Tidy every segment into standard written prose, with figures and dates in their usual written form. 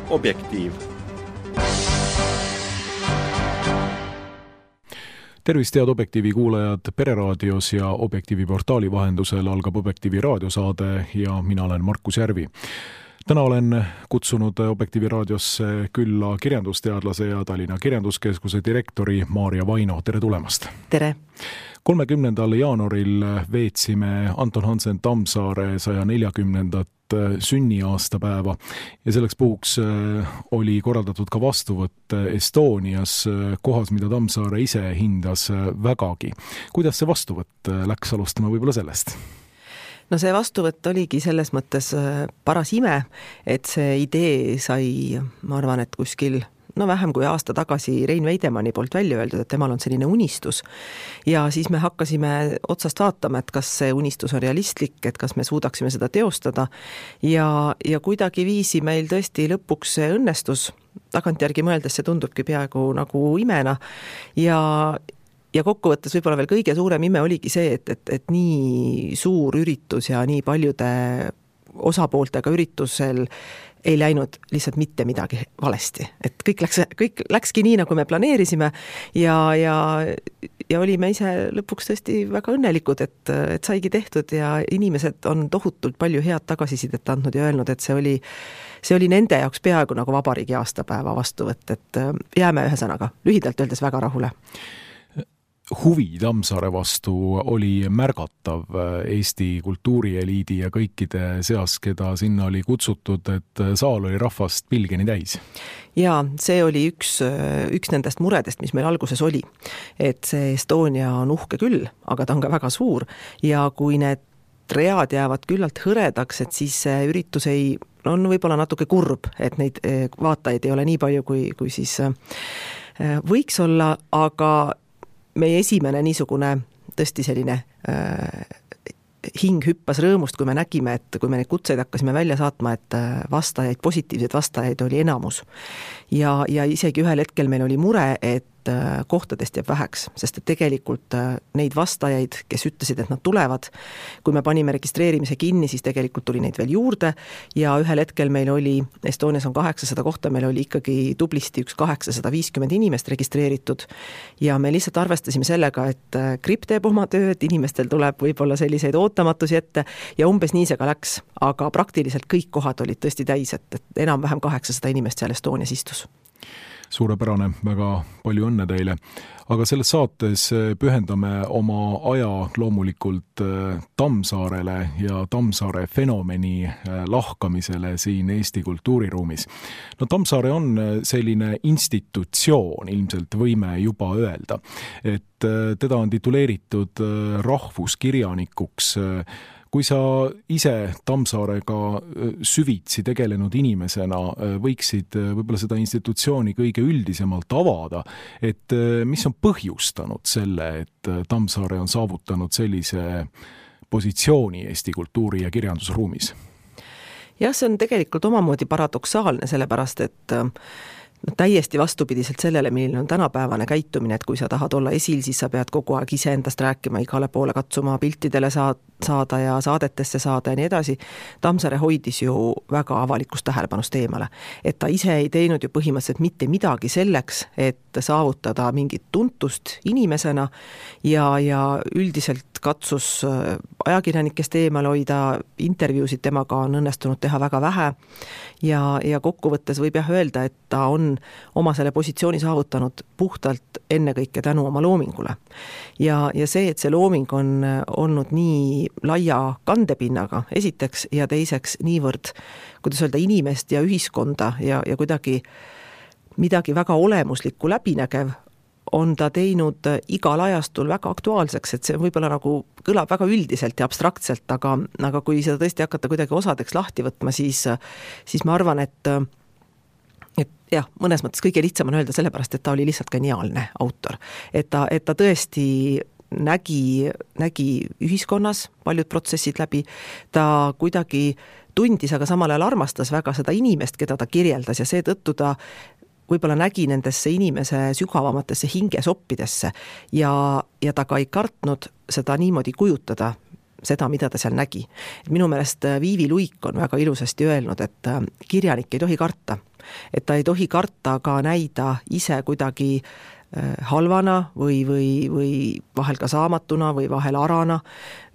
Objektiiv. Tervist, head Objektiivi kuulajad Pereraadios ja Objektiivi portaali vahendusel algab Objektiivi raadiosaade ja mina olen Markus Järvi. Täna olen kutsunud Objektiivi raadiosse külla kirjandusteadlase ja Tallinna Kirjanduskeskuse direktori Maarja Vaino. Tere tulemast! Tere! 30. jaanuaril veetsime Anton Hansen Tammsaare 140. sünniaastapäeva ja selleks puhuks oli korraldatud ka vastuvõtt Estonias, kohas, mida Tammsaare ise hindas vägagi. Kuidas see vastuvõtt läks, alustama võib-olla sellest? No see vastuvõtt oligi selles mõttes paras ime, et see idee sai, ma arvan, et kuskil vähem kui aasta tagasi Rein Veidemanni poolt välja öeldud, et temal on selline unistus. Ja siis me hakkasime otsast vaatama, et kas see unistus on realistlik, et kas me suudaksime seda teostada. Ja kuidagi viisi meil tõesti lõpuks see õnnestus. Tagantjärgi mõeldes see tundubki peaaegu nagu imena. Ja kokkuvõttes võib-olla veel kõige suurem ime oligi see, et nii suur üritus ja nii paljude osapooltega üritusel ei läinud lihtsalt mitte midagi valesti. Et kõik läkski nii, nagu me planeerisime ja olime ise lõpuks tõesti väga õnnelikud, et saigi tehtud ja inimesed on tohutult palju head tagasisidet andnud ja öelnud, et see oli nende jaoks peaaegu nagu vabariigi aastapäeva vastuvõtt, et jääme ühe sõnaga lühidalt öeldes väga rahule. Huvi Tammsaare vastu oli märgatav Eesti kultuurieliidi ja kõikide seas, keda sinna oli kutsutud, et saal oli rahvast pilgeni täis. Ja see oli üks nendest muredest, mis meil alguses oli. Et see Estonia on uhke küll, aga ta on ka väga suur ja kui need read jäävad küllalt hõredaks, et siis see üritus on võib-olla natuke kurb, et neid vaatajaid ei ole nii palju, kui siis võiks olla, aga meie esimene niisugune tõesti selline hing hüppas rõõmust, kui me nägime, et kui me neid kutseid hakkasime välja saatma, et vastajaid, positiivseid vastajaid oli enamus. Ja isegi ühel hetkel meil oli mure, et kohtadest jääb väheks, sest et tegelikult neid vastajaid, kes ütlesid, et nad tulevad, kui me panime registreerimise kinni, siis tegelikult tuli neid veel juurde ja ühel hetkel meil oli, Estonias on 800 kohta, meil oli ikkagi tublisti 850 inimest registreeritud ja me lihtsalt arvestasime sellega, et gripp teeb oma tööd, inimestel tuleb võib-olla selliseid ootamatusi ette ja umbes nii see ka läks, aga praktiliselt kõik kohad olid tõesti täis, et enam-vähem 800 inimest seal Estonias istus. Suurepärane, väga palju õnne teile. Aga selles saates pühendame oma aja loomulikult Tammsaarele ja Tammsaare fenomeni lahkamisele siin Eesti kultuuriruumis. No Tammsaare on selline institutsioon, ilmselt võime juba öelda, et teda on tituleeritud rahvuskirjanikuks. Kui sa ise Tammsaarega süvitsi tegelenud inimesena võiksid võib-olla seda institutsiooni kõige üldisemalt avada, et mis on põhjustanud selle, et Tammsaare on saavutanud sellise positsiooni Eesti kultuuri- ja kirjandusruumis? Jah, see on tegelikult omamoodi paradoksaalne, sellepärast, et täiesti vastupidiselt sellele, milline on tänapäevane käitumine, et kui sa tahad olla esil, siis sa pead kogu aeg iseendast rääkima, igale poole katsuma piltidele saada ja saadetesse saada ja nii edasi. Tammsaare hoidis ju väga avalikust tähelepanust eemale. Et ta ise ei teinud ju põhimõtteliselt mitte midagi selleks, et saavutada mingit tuntust inimesena ja üldiselt katsus ajakirjanikest eemal hoida, intervjuusid temaga on õnnestunud teha väga vähe ja kokkuvõttes võib öelda, et ta on oma selle positsiooni saavutanud puhtalt ennekõike tänu oma loomingule. Ja see, et see looming on olnud nii laia kandepinnaga esiteks ja teiseks niivõrd, kuidas öelda, inimest ja ühiskonda ja kuidagi midagi väga olemuslikku läbinägev, on ta teinud igal ajastul väga aktuaalseks, et see võib-olla nagu kõlab väga üldiselt ja abstraktselt, aga kui seda tõesti hakata kuidagi osadeks lahti võtma, siis ma arvan, et jah, mõnes mõttes kõige lihtsam on öelda sellepärast, et ta oli lihtsalt geniaalne autor. Et ta tõesti nägi ühiskonnas paljud protsessid läbi, ta kuidagi tundis, aga samal ajal armastas väga seda inimest, keda ta kirjeldas ja seetõttu ta võib-olla nägi nendesse inimese sügavamatesse hingesoppidesse ja ta ka ei kartnud seda niimoodi kujutada seda, mida ta seal nägi. Minu meelest Viivi Luik on väga ilusasti öelnud, et kirjanik ei tohi karta. Et ta ei tohi karta ka näida ise kuidagi halvana või vahel ka saamatuna või vahel arana,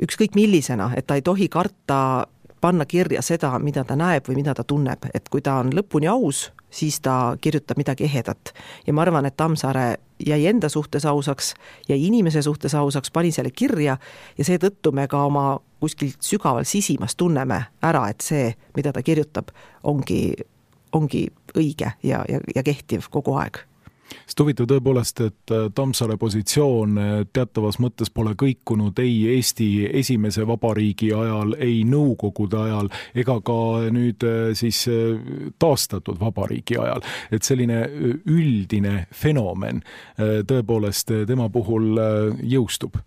ükskõik millisena, et ta ei tohi karta panna kirja seda, mida ta näeb või mida ta tunneb, et kui ta on lõpuni aus, siis ta kirjutab midagi ehedat. Ja ma arvan, et Tammsaare jäi enda suhtes ausaks, jäi inimese suhtes ausaks, pani selle kirja ja seetõttu me ka oma kuskil sügaval sisimas tunneme ära, et see, mida ta kirjutab, ongi õige ja kehtiv kogu aeg. Sest huvitav tõepoolest, et Tammsaare positsioon teatavas mõttes pole kõikunud ei Eesti esimese vabariigi ajal, ei Nõukogude ajal ega ka nüüd siis taastatud vabariigi ajal. Et selline üldine fenomen tõepoolest tema puhul jõustub.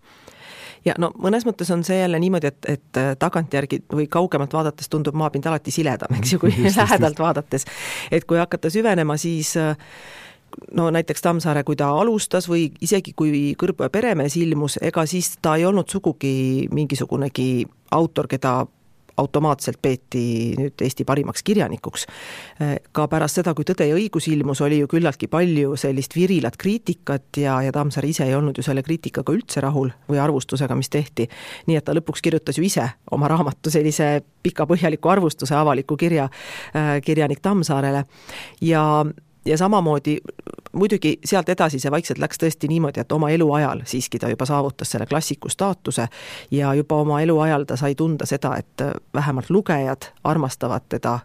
Ja no mõnes mõttes on see jälle niimoodi, et tagantjärgi või kaugemalt vaadates tundub maapind alati siledam, eks ju, kui lähedalt vaadates. Et kui hakata süvenema, siis no näiteks Tammsaare, kui ta alustas või isegi kui Kõrbu ja Peremees ilmus, ega siis ta ei olnud sugugi mingisugunegi autor, keda automaatselt peeti nüüd Eesti parimaks kirjanikuks. Ka pärast seda, kui Tõde ja õigus ilmus, oli ju küllaltki palju sellist virilat kriitikat ja Tammsaare ise ei olnud ju selle kriitikaga üldse rahul või arvustusega, mis tehti. Nii et ta lõpuks kirjutas ju ise oma raamatu sellise pika põhjaliku arvustuse avaliku kirjanik Tammsaarele ja samamoodi muidugi sealt edasi see vaikselt läks tõesti niimoodi, et oma eluajal siiski ta juba saavutas selle klassiku staatuse ja juba oma eluajal ta sai tunda seda, et vähemalt lugejad armastavad teda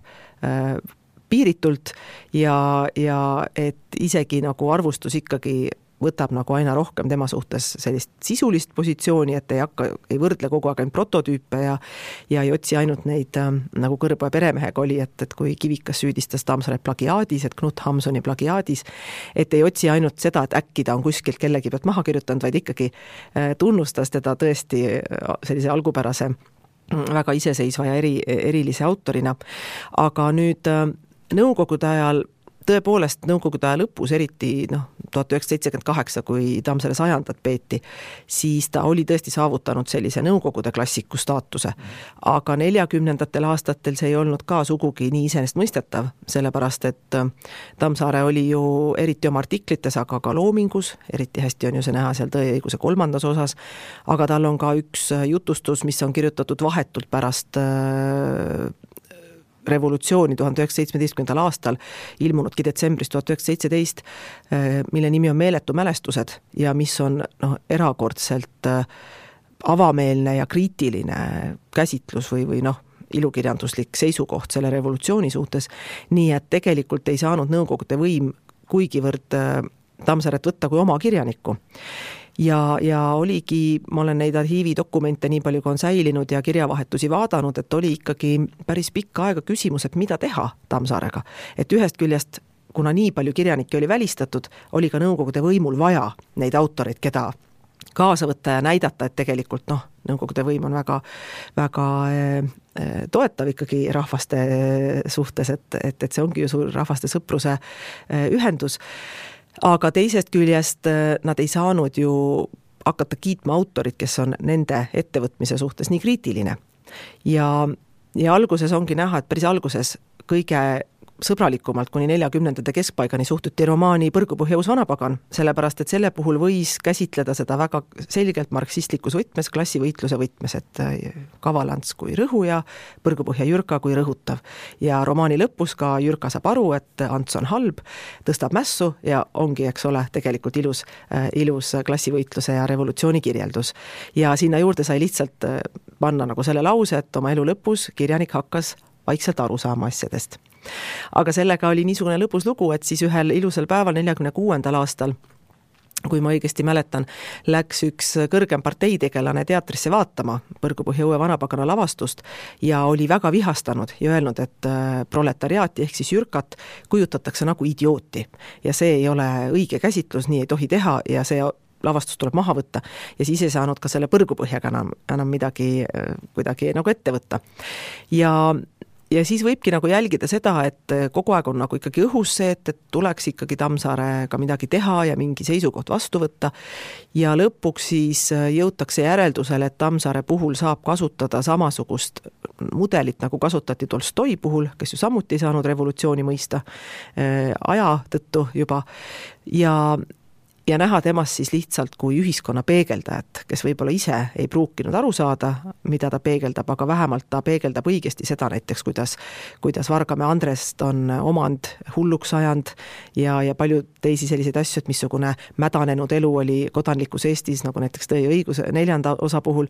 piiritult ja et isegi nagu arvustus ikkagi võtab nagu aina rohkem tema suhtes sellist sisulist positsiooni, et ei võrdle kogu aeg ainult prototüüpe ja ei otsi ainult neid, nagu Kõrbu ja Peremehega oli, et kui Kivikas süüdistas Tammsaaret plagiaadis, et Knut Hamsuni plagiaadis, et ei otsi ainult seda, et äkki ta on kuskilt kellegi pealt maha kirjutanud, vaid ikkagi tunnustas teda tõesti sellise algupärase, väga iseseisva ja erilise autorina. Aga nüüd Nõukogude ajal tõepoolest Nõukogude aja lõpus, eriti 1978, kui Tammsaare 100. peeti, siis ta oli tõesti saavutanud sellise Nõukogude klassiku staatuse. Aga 40. aastatel see ei olnud ka sugugi nii iseenesestmõistetav, sellepärast et Tammsaare oli ju eriti oma artiklites, aga ka loomingus, eriti hästi on ju see näha seal Tõe ja õiguse 3. osas, aga tal on ka üks jutustus, mis on kirjutatud vahetult pärast revolutsiooni 1917. aastal, ilmunudki detsembris 1917, mille nimi on Meeletu mälestused ja mis on erakordselt avameelne ja kriitiline käsitlus või ilukirjanduslik seisukoht selle revolutsiooni suhtes, nii et tegelikult ei saanud Nõukogude võim kuigivõrd Tammsaaret võtta kui oma kirjanikku. Ja oligi, ma olen neid arhiividokumente nii palju, kui on säilinud ja kirjavahetusi vaadanud, et oli ikkagi päris pikka aega küsimus, et mida teha Tammsaarega. Et ühest küljest, kuna nii palju kirjanikke oli välistatud, oli ka Nõukogude võimul vaja neid autoreid, keda kaasa võtta ja näidata, et tegelikult Nõukogude võim on väga, väga toetav ikkagi rahvaste suhtes, et see ongi ju suur rahvaste sõpruse ühendus. Aga teisest küljest nad ei saanud ju hakata kiitma autorit, kes on nende ettevõtmise suhtes nii kriitiline. Ja alguses ongi näha, et päris alguses kõige sõbralikumalt kuni 40. keskpaigani suhtuti romaani Põrgupõhja uus vanapagan, sellepärast et selle puhul võis käsitleda seda väga selgelt marksistlikus võtmes, klassivõitluse võtmes, et Kavalants kui rõhuja, Põrgupõhja Jürka kui rõhutav. Ja romaani lõpus ka Jürka saab aru, et Ants on halb, tõstab mässu ja ongi, eks ole, tegelikult ilus klassivõitluse ja revolutsiooni kirjeldus. Ja sinna juurde sai lihtsalt panna nagu selle lause, et oma elu lõpus kirjanik hakkas vaikselt aru saama asjadest. Aga sellega oli niisugune lõbus lugu, et siis ühel ilusal päeval 46. aastal, kui ma õigesti mäletan, läks üks kõrgem parteitegelane teatrisse vaatama Põrgupõhja uue vanapagana lavastust ja oli väga vihastanud ja öelnud, et proletariaati ehk siis Jürkat kujutatakse nagu idiooti ja see ei ole õige käsitlus, nii ei tohi teha ja see lavastus tuleb maha võtta ja siis ei saanud ka selle Põrgupõhjaga enam midagi kuidagi nagu ette võtta. ja siis võibki nagu jälgida seda, et kogu aeg on nagu ikkagi õhus see, et tuleks ikkagi Tammsaarega midagi teha ja mingi seisukoht vastu võtta ja lõpuks siis jõutakse järeldusele, et Tammsaare puhul saab kasutada samasugust mudelit, nagu kasutati Tolstoi puhul, kes ju samuti ei saanud revolutsiooni mõista aja tõttu juba ja näha temast siis lihtsalt kui ühiskonna peegeldajat, kes võib-olla ise ei pruukinud aru saada, mida ta peegeldab, aga vähemalt ta peegeldab õigesti seda näiteks, kuidas Vargamäe Andrest on omand hulluks ajand ja palju teisi selliseid asju, et missugune mädanenud elu oli kodanlikus Eestis, nagu näiteks Tõe ja õigus 4. osa puhul.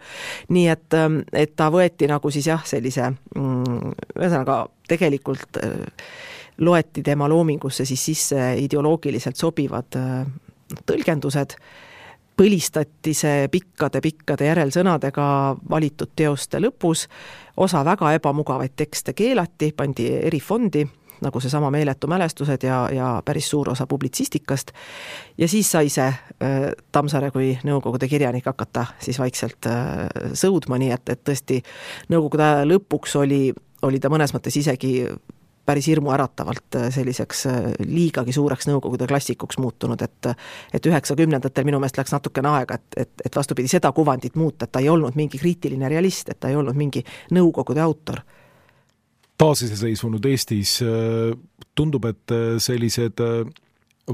Nii et ta võeti nagu siis jah, sellise ühesõnaga tegelikult loeti tema loomingusse siis sisse ideoloogiliselt sobivad tõlgendused, põlistati see pikkade järelsõnadega valitud teoste lõpus, osa väga ebamugavaid tekste keelati, pandi erifondi, nagu see sama meeletu mälestused ja päris suur osa publitsistikast ja siis sai see Tammsaare kui Nõukogude kirjanik hakata siis vaikselt sõudma, nii et tõesti Nõukogude aja lõpuks oli ta mõnes mõttes isegi päris hirmuäratavalt selliseks liigagi suureks Nõukogude klassikuks muutunud, et 90-ndatel minu meelest läks natukene aega, et vastupidi seda kuvandit muuta, et ta ei olnud mingi kriitiline realist, et ta ei olnud mingi Nõukogude autor. Taasiseseisvunud Eestis tundub, et sellised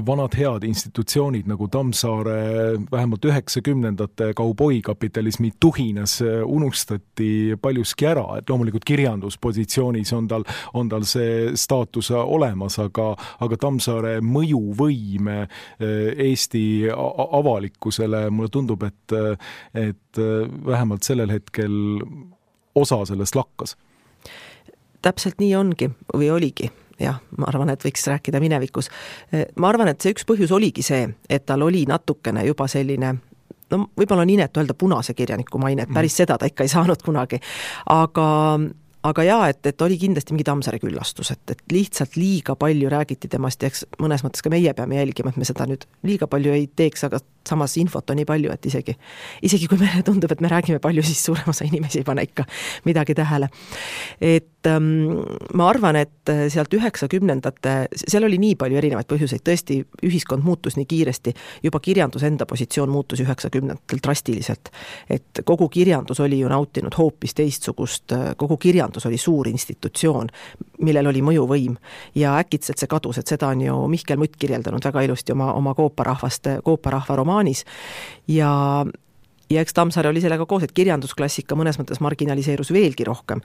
vanad head institutsioonid nagu Tammsaare vähemalt 90-ndate kauboikapitalismi tuhinas unustati paljuski ära, et loomulikult kirjanduspositsioonis on tal see staatus olemas, aga Tammsaare mõjuvõim Eesti avalikkusele, mulle tundub, et vähemalt sellel hetkel osa sellest lakkas. Täpselt nii ongi või oligi. Jah, ma arvan, et võiks rääkida minevikus. Ma arvan, et see üks põhjus oligi see, et tal oli natukene juba selline, no võib-olla on inetu öelda punase kirjaniku maine, et päris seda ta ikka ei saanud kunagi, aga jaa, et oli kindlasti mingi Tammsaare küllastus, et lihtsalt liiga palju räägiti temast ja eks mõnes mõttes ka meie peame jälgima, et me seda nüüd liiga palju ei teeks, aga samas infot on nii palju, et isegi kui meile tundub, et me räägime palju, siis suurem osa inimesi ei pane ikka midagi tähele. Et ma arvan, et sealt 90-ndate, seal oli nii palju erinevaid põhjuseid, tõesti ühiskond muutus nii kiiresti, juba kirjandus enda positsioon muutus 90-ndatel drastiliselt, et kogu kirjandus oli ju nautinud hoopis teistsugust, kogu kirjandus oli suur institutsioon, millel oli mõjuvõim ja äkitselt see kadus, et seda on ju Mihkel Mutt kirjeldanud väga ilusti oma Kooparahva romaanis ja eks Tammsaare oli sellega koos, et kirjandusklassika mõnes mõttes marginaliseerus veelgi rohkem.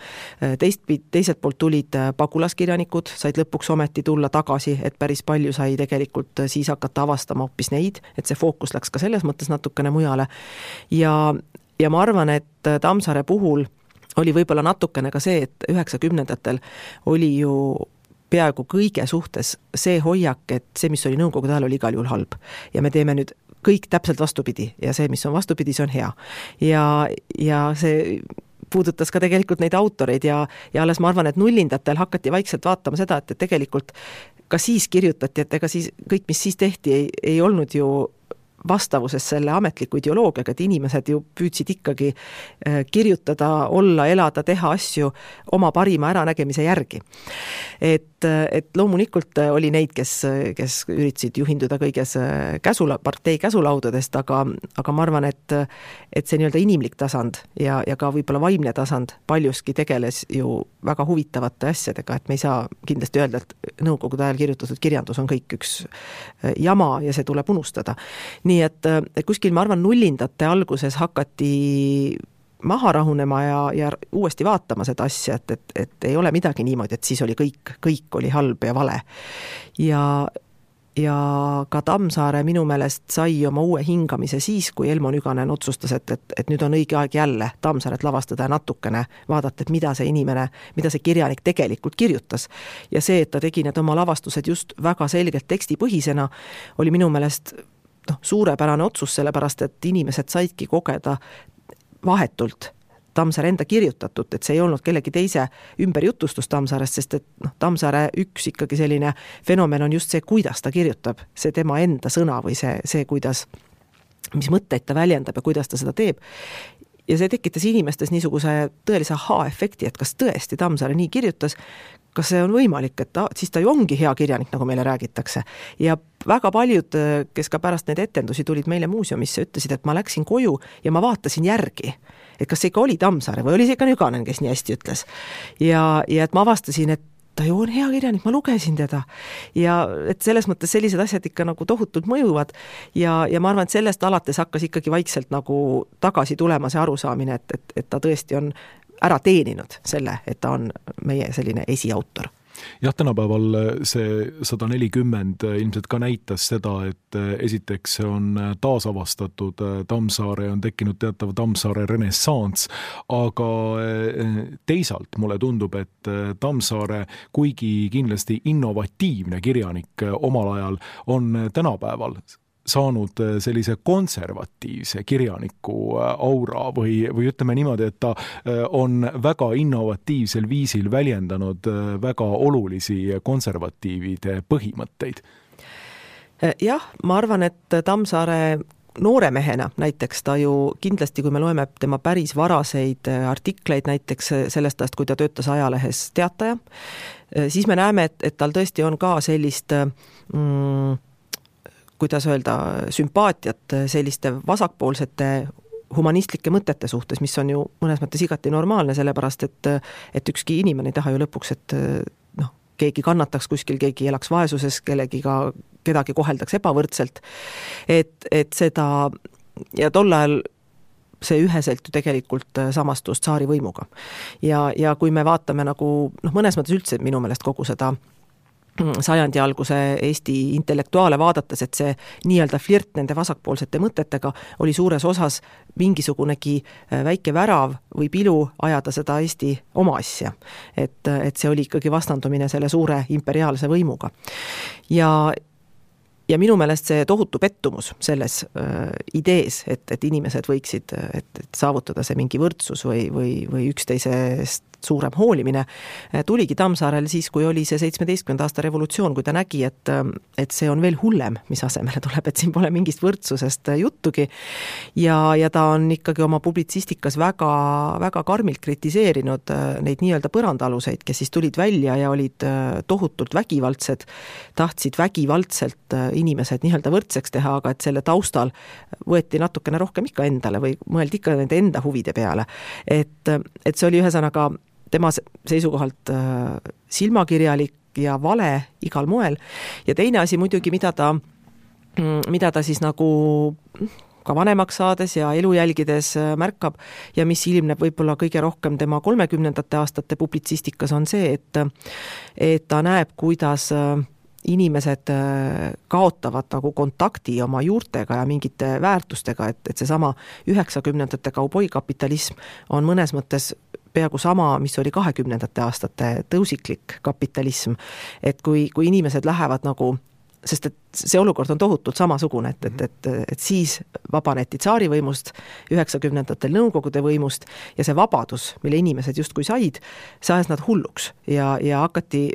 Teiselt poolt tulid pagulaskirjanikud, said lõpuks ometi tulla tagasi, et päris palju sai tegelikult siis hakata avastama hoopis neid, et see fookus läks ka selles mõttes natukene mujale ja ma arvan, et Tammsaare puhul oli võib-olla natukene ka see, et 90-ndatel oli ju peaaegu kõige suhtes see hoiak, et see, mis oli Nõukogude ajal, oli igal juhul halb. Ja me teeme nüüd kõik täpselt vastupidi ja see, mis on vastupidi, see on hea. Ja see puudutas ka tegelikult neid autoreid ja alles ma arvan, et nullindatel hakati vaikselt vaatama seda, et tegelikult ka siis kirjutati, et ega siis kõik, mis siis tehti, ei olnud ju vastavuses selle ametliku ideoloogiaga, et inimesed ju püüdsid ikkagi kirjutada, olla, elada, teha asju oma parima äranägemise järgi. Et loomulikult oli neid, kes üritasid juhinduda kõiges partei käsulaudadest, aga ma arvan, et see nii-öelda inimlik tasand ja ka võib-olla vaimne tasand paljuski tegeles ju väga huvitavate asjadega, et me ei saa kindlasti öelda, et Nõukogude ajal kirjutatud kirjandus on kõik üks jama ja see tuleb unustada. Nii et kuskil, ma arvan, nullindate alguses hakati maha rahunema ja uuesti vaatama seda asja, et ei ole midagi niimoodi, et siis oli kõik oli halb ja vale. Ja ka Tammsaare minu meelest sai oma uue hingamise siis, kui Elmo Nüganen otsustas, et nüüd on õige aeg jälle Tammsaaret lavastada ja natukene vaadata, et mida see kirjanik tegelikult kirjutas. Ja see, et ta tegi need oma lavastused just väga selgelt tekstipõhisena, oli minu meelest suurepärane otsus, sellepärast, et inimesed saidki kogeda vahetult Tammsaare enda kirjutatud, et see ei olnud kellegi teise ümberjutustus Tammsaarest, sest et Tammsaare üks ikkagi selline fenomen on just see, kuidas ta kirjutab, see tema enda sõna või see kuidas, mis mõtteid ta väljendab ja kuidas ta seda teeb. ja see tekitas inimestes niisuguse tõelise aha-efekti, et kas tõesti Tammsaare nii kirjutas, kas see on võimalik, et siis ta ju ongi hea kirjanik, nagu meile räägitakse. Ja väga paljud, kes ka pärast neid etendusi tulid meile muuseumisse, ütlesid, et ma läksin koju ja ma vaatasin järgi, et kas see ikka oli Tammsaare või oli see ikka Nüganen, kes nii hästi ütles. Ja et ma avastasin, et ta ju on hea kirjanik, ma lugesin teda. Ja et selles mõttes sellised asjad ikka nagu tohutult mõjuvad ja ma arvan, et sellest alates hakkas ikkagi vaikselt nagu tagasi tulema see arusaamine, et ta tõesti on ära teeninud selle, et ta on meie selline esiautor. Jah, tänapäeval see 140 ilmselt ka näitas seda, et esiteks on taasavastatud Tammsaare, on tekkinud teatav Tammsaare renessanss, aga teisalt mulle tundub, et Tammsaare, kuigi kindlasti innovatiivne kirjanik omal ajal, on tänapäeval saanud sellise konservatiivse kirjaniku aura või ütleme niimoodi, et ta on väga innovatiivsel viisil väljendanud väga olulisi konservatiivide põhimõtteid. Jah, ma arvan, et Tammsaare noore mehena näiteks ta ju kindlasti, kui me loeme tema päris varaseid artikleid näiteks sellest ajast, kui ta töötas ajalehes Teataja, siis me näeme, et tal tõesti on ka sellist kuidas öelda, sümpaatiat selliste vasakpoolsete humanistlike mõtete suhtes, mis on ju mõnes mõttes igati normaalne, sellepärast et ükski inimene ei taha ju lõpuks, et keegi kannataks kuskil, keegi elaks vaesuses, kedagi koheldaks ebavõrdselt. Et seda, ja tol ajal see üheselt ju tegelikult samastus tsaari võimuga. Ja kui me vaatame nagu, mõnes mõttes üldse minu meelest kogu seda sajandi alguse Eesti intellektuaale vaadates, et see nii-öelda flirt nende vasakpoolsete mõtetega oli suures osas mingisugunegi väike värav või pilu ajada seda Eesti oma asja. Et see oli ikkagi vastandumine selle suure imperiaalse võimuga. Ja minu meelest see tohutu pettumus selles idees, et inimesed võiksid et saavutada see mingi võrdsus või üksteisest suurem hoolimine, tuligi Tammsaarel siis, kui oli see 17. aasta revolutsioon, kui ta nägi, et see on veel hullem, mis asemele tuleb, et siin pole mingist võrdsusest juttugi. Ja ta on ikkagi oma publitsistikas väga, väga karmilt kritiseerinud neid nii-öelda põrandaluseid, kes siis tulid välja ja olid tohutult vägivaldsed, tahtsid vägivaldselt inimesed nii-öelda võrdseks teha, aga et selle taustal võeti natukene rohkem ikka endale või mõeldi ikka nende enda huvide peale. Et see oli ühesõnaga tema seisukohalt silmakirjalik ja vale igal moel. Ja teine asi muidugi, mida ta siis nagu ka vanemaks saades ja elu jälgides märkab ja mis ilmneb võib-olla kõige rohkem tema 30. aastate publitsistikas on see, et ta näeb, kuidas inimesed kaotavad nagu kontakti oma juurtega ja mingite väärtustega, et seesama 90. kauboikapitalism on mõnes mõttes peaaegu sama, mis oli 20. aastate tõusiklik kapitalism, et kui inimesed lähevad nagu, sest et see olukord on tohutult samasugune, et siis vabaneti tsaarivõimust, 90-ndatel Nõukogude võimust ja see vabadus, mille inimesed justkui said, see ajas nad hulluks ja hakati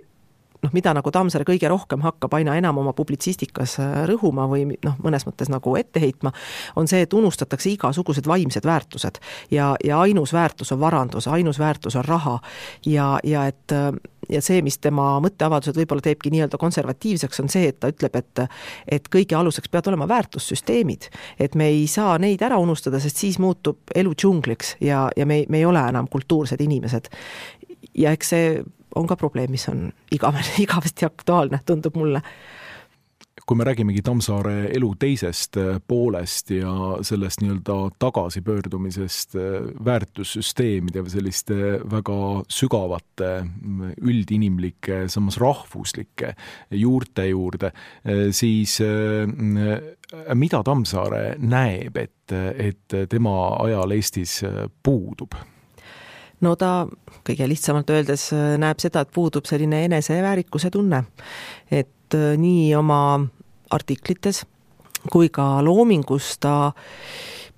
mida nagu Tammsaare kõige rohkem hakkab aina enam oma publitsistikas rõhuma või mõnes mõttes nagu ette heitma, on see, et unustatakse igasugused vaimsed väärtused ja ainus väärtus on varandus, ainus väärtus on raha ja see, mis tema mõtteavaldused võib-olla teebki nii-öelda konservatiivseks, on see, et ta ütleb, et kõige aluseks peavad olema väärtussüsteemid, et me ei saa neid ära unustada, sest siis muutub elu džungliks ja me ei ole enam kultuursed inimesed. Ja eks see on ka probleem, mis on igavesti aktuaalne, tundub mulle. Kui me räägimegi Tammsaare elu teisest poolest ja sellest nii-öelda tagasipöördumisest väärtussüsteemide või selliste väga sügavate üldinimlike, samas rahvuslike juurte juurde, siis mida Tammsaare näeb, et tema ajal Eestis puudub? No ta kõige lihtsamalt öeldes näeb seda, et puudub selline eneseväärikuse tunne, et nii oma artiklites kui ka loomingus ta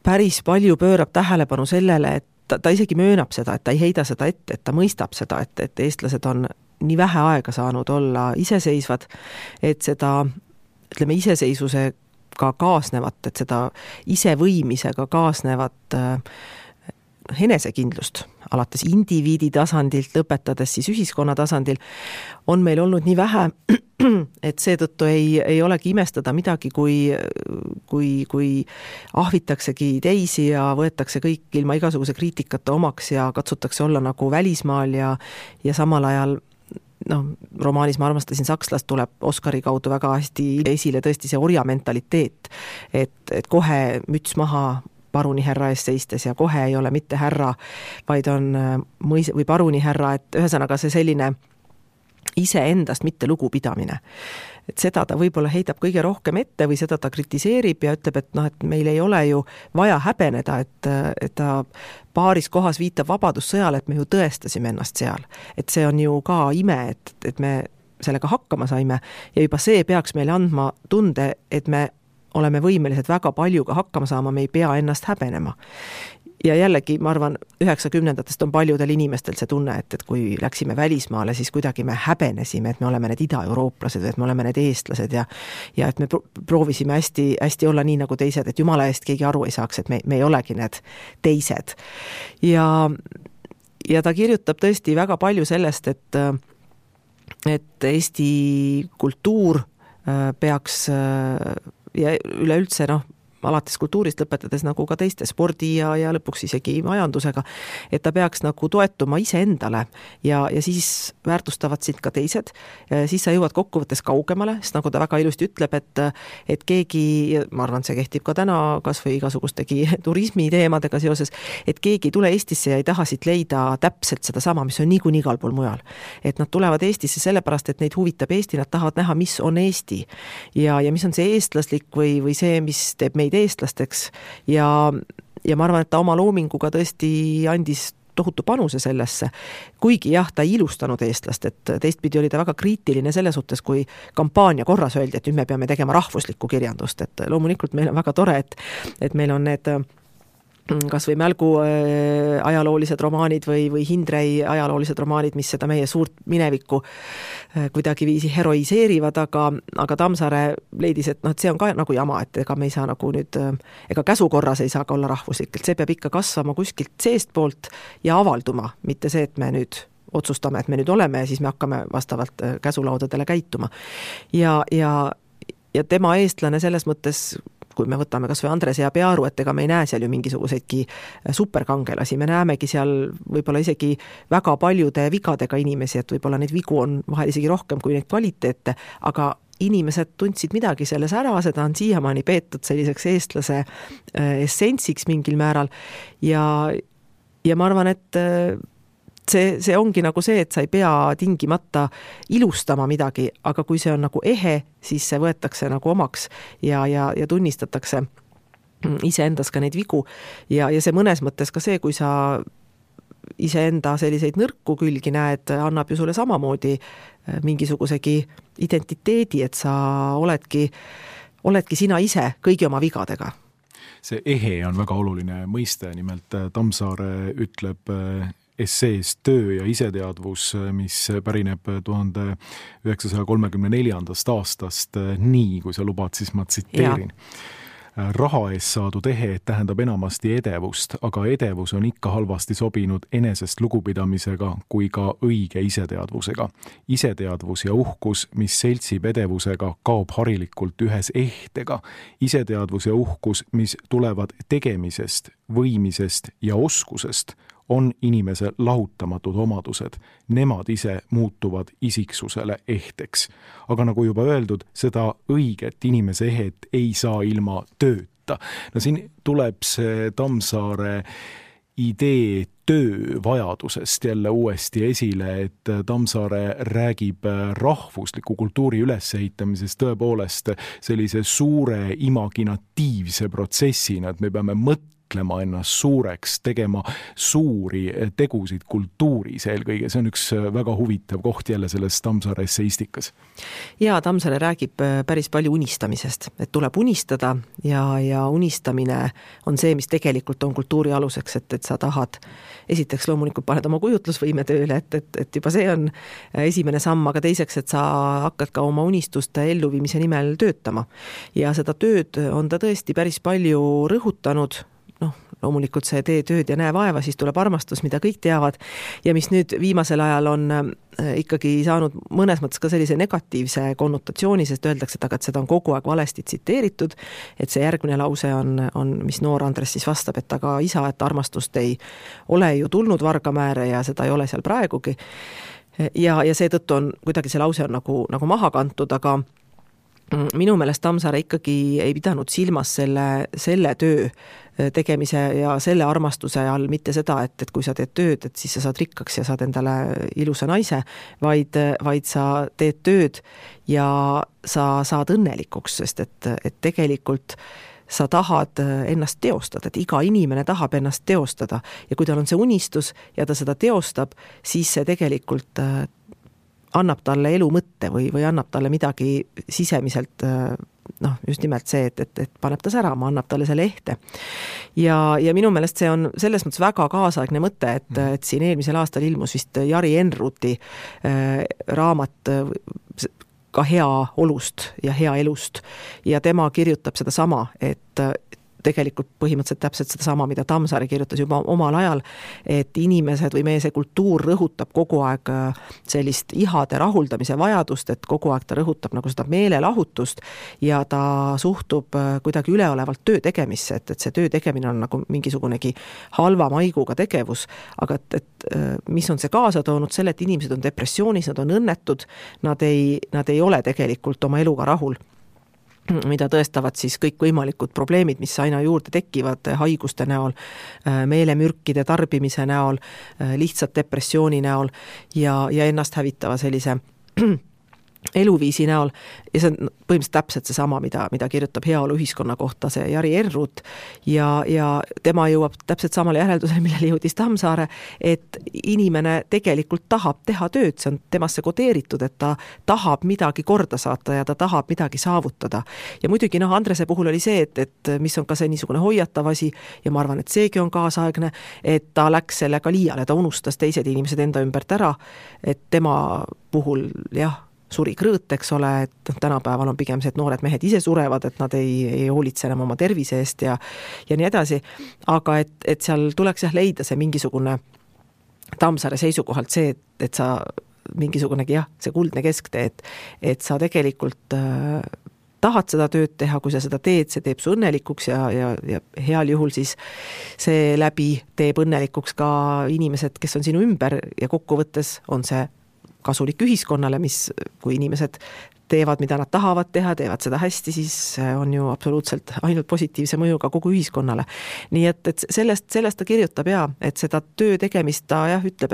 päris palju pöörab tähelepanu sellele, et ta isegi möönab seda, et ta ei heida seda ette, et ta mõistab seda, et eestlased on nii vähe aega saanud olla iseseisvad, et seda, ütleme, iseseisvusega kaasnevat, et seda isevõimisega kaasnevat enesekindlust, alates indiviidi tasandilt, lõpetades siis ühiskonna tasandil, on meil olnud nii vähe, et seetõttu ei olegi imestada midagi, kui ahvitaksegi teisi ja võetakse kõik ilma igasuguse kriitikata omaks ja katsutakse olla nagu välismaal ja samal ajal romaanis Ma armastasin sakslast tuleb Oscari kaudu väga hästi esile tõesti see orja mentaliteet, et kohe müts maha paruni härra ees seistes ja kohe ei ole mitte härra, vaid on või paruni härra, et ühesõnaga see selline iseendast mitte lugupidamine. Et seda ta võib-olla heidab kõige rohkem ette või seda ta kritiseerib ja ütleb, et meil ei ole ju vaja häbeneda, et ta paaris kohas viitab vabadussõjale, et me ju tõestasime ennast seal. Et see on ju ka ime, et me sellega hakkama saime ja juba see peaks meile andma tunde, et me oleme võimelised väga paljuga hakkama saama, me ei pea ennast häbenema. Ja jällegi, ma arvan, 90-ndatest on paljudel inimestel see tunne, et kui läksime välismaale, siis kuidagi me häbenesime, et me oleme need ida-eurooplased, et me oleme need eestlased ja et me proovisime hästi olla nii nagu teised, et jumala eest keegi aru ei saaks, et me ei olegi need teised. Ja ta kirjutab tõesti väga palju sellest, et Eesti kultuur peaks ja üleüldse alates kultuurist lõpetades nagu ka teiste spordi ja lõpuks isegi majandusega, et ta peaks nagu toetuma iseendale ja siis väärtustavad sind ka teised, siis sa jõuad kokkuvõttes kaugemale, sest nagu ta väga ilusti ütleb, et keegi, ma arvan, see kehtib ka täna kas või igasugustegi turismi teemadega seoses, et keegi ei tule Eestisse ja ei taha siit leida täpselt seda sama, mis on niikuinii igal pool mujal. Et nad tulevad Eestisse sellepärast, et neid huvitab Eesti, nad tahavad näha, mis on Eesti ja mis on see eestlaslik või see, mis teeb meid eestlasteks ja ma arvan, et ta oma loominguga tõesti andis tohutu panuse sellesse, kuigi jah, ta ei ilustanud eestlast, et teistpidi oli ta väga kriitiline selle suhtes, kui kampaania korras öeldi, et nüüd me peame tegema rahvuslikku kirjandust, et loomulikult meil on väga tore, et meil on need kas või Mälgu ajaloolised romaanid või Hindrei ajaloolised romaanid, mis seda meie suurt minevikku kuidagi viisi heroiseerivad, aga Tammsaare leidis, et see on ka nagu jama, et ega me ei saa nagu nüüd, ega käsukorras ei saa ka olla rahvuslik, et see peab ikka kasvama kuskilt seestpoolt ja avalduma, mitte see, et me nüüd otsustame, et me nüüd oleme ja siis me hakkame vastavalt käsulaudadele käituma. Ja tema eestlane selles mõttes, kui me võtame kas või Andres ja Pearu, et ega me ei näe seal ju mingisuguseidki superkangelasi, me näemegi seal võib-olla isegi väga paljude vigadega inimesi, et võib-olla neid vigu on vahel isegi rohkem kui neid kvaliteete, aga inimesed tundsid midagi selles ära, seda on siiamaani peetud selliseks eestlase essentsiks mingil määral ja ma arvan, et see ongi nagu see, et sa ei pea tingimata ilustama midagi, aga kui see on nagu ehe, siis see võetakse nagu omaks ja tunnistatakse iseendas ka neid vigu ja see mõnes mõttes ka see, kui sa iseenda selliseid nõrku külgi näed, annab ju sulle samamoodi mingisugusegi identiteedi, et sa oledki sina ise kõigi oma vigadega. See ehe on väga oluline mõiste, nimelt Tammsaare ütleb essees Töö ja iseteadvus, mis pärineb 1934. aastast nii, kui sa lubad, siis ma tsiteerin. Raha ees saadud ehe tähendab enamasti edevust, aga edevus on ikka halvasti sobinud enesest lugupidamisega kui ka õige iseteadvusega. Iseteadvus ja uhkus, mis seltsib edevusega, kaob harilikult ühes ehtega. Iseteadvus ja uhkus, mis tulevad tegemisest, võimisest ja oskusest, on inimese lahutamatud omadused. Nemad ise muutuvad isiksusele ehteks. Aga nagu juba öeldud, seda õiget inimese ehet ei saa ilma tööta. No siin tuleb see Tammsaare idee töövajadusest jälle uuesti esile, et Tammsaare räägib rahvusliku kultuuri ülesehitamisest tõepoolest sellise suure imaginatiivse protsessina, et me peame mõtlema ennast suureks, tegema suuri tegusid kultuuris eelkõige. See on üks väga huvitav koht jälle selles Tammsaare esseistikas. Ja Tammsaare räägib päris palju unistamisest, et tuleb unistada ja unistamine on see, mis tegelikult on kultuuri aluseks, et sa tahad, esiteks loomulikult paned oma kujutlusvõime tööle, et juba see on esimene samm, aga teiseks, et sa hakkad ka oma unistuste elluviimise nimel töötama. Ja seda tööd on ta tõesti päris palju rõhutanud, loomulikult see tee tööd ja näe vaeva, siis tuleb armastus, mida kõik teavad ja mis nüüd viimasel ajal on ikkagi saanud mõnes mõttes ka sellise negatiivse konnotatsiooni, sest öeldakse, et seda on kogu aeg valesti tsiteeritud, et see järgmine lause on, mis noor Andres siis vastab, et aga isa, et armastust ei ole ju tulnud Vargamäele ja seda ei ole seal praegugi. Ja seetõttu on kuidagi see lause on nagu maha kantud, aga minu meelest Tammsaare ikkagi ei pidanud silmas selle töö tegemise ja selle armastuse all mitte seda, et kui sa teed tööd, et siis sa saad rikkaks ja saad endale ilusa naise, vaid sa teed tööd ja sa saad õnnelikuks, sest et tegelikult sa tahad ennast teostada, et iga inimene tahab ennast teostada ja kui tal on see unistus ja ta seda teostab, siis see tegelikult annab talle elu mõtte või annab talle midagi sisemiselt, just nimelt see, et paneb ta särama, annab talle selle ehte. Ja minu meelest see on selles mõttes väga kaasaegne mõte, et siin eelmisel aastal ilmus vist Jari Enruti raamat ka hea olust ja hea elust ja tema kirjutab seda sama, et tegelikult põhimõtteliselt täpselt seda sama, mida Tammsaare kirjutas juba omal ajal, et inimesed või meie see kultuur rõhutab kogu aeg sellist ihade rahuldamise vajadust, et kogu aeg ta rõhutab nagu seda meelelahutust ja ta suhtub kuidagi üleolevalt töö tegemisse, et see töö tegemine on nagu mingisugunegi halva maiguga tegevus, aga et mis on see kaasa toonud selle, et inimesed on depressioonis, nad on õnnetud, nad ei ole tegelikult oma eluga rahul, mida tõestavad siis kõik võimalikud probleemid, mis aina juurde tekivad haiguste näol, meelemürkide tarbimise näol, lihtsalt depressiooni näol ja ennast hävitava sellise eluviisi näol ja see on põhimõtteliselt täpselt see sama, mida kirjutab heaolu ühiskonna kohta see Jari Enrut ja tema jõuab täpselt samale järeldusele, millele jõudis Tammsaare, et inimene tegelikult tahab teha tööd, see on temasse kodeeritud, et ta tahab midagi korda saata ja ta tahab midagi saavutada. Ja muidugi Andrese puhul oli see, et mis on ka see niisugune hoiatav asi ja ma arvan, et seegi on kaasaegne, et ta läks sellega liiale, ta unustas teised inimesed enda ümbert ära, et tema puhul suri krõõt, eks ole, et tänapäeval on pigem see, et noored mehed ise surevad, et nad ei hoolitse enam oma tervise eest ja nii edasi, aga et seal tuleks leida see mingisugune Tammsaare seisukohalt see, et sa mingisugunegi see kuldne kesktee, et sa tegelikult tahad seda tööd teha, kui sa seda teed, see teeb su õnnelikuks ja heal juhul siis see läbi teeb õnnelikuks ka inimesed, kes on sinu ümber ja kokkuvõttes on see kasulik ühiskonnale, mis kui inimesed teevad, mida nad tahavad teha, teevad seda hästi, siis on ju absoluutselt ainult positiivse mõjuga kogu ühiskonnale. Nii et sellest ta kirjutab et seda töö tegemist ta ütleb,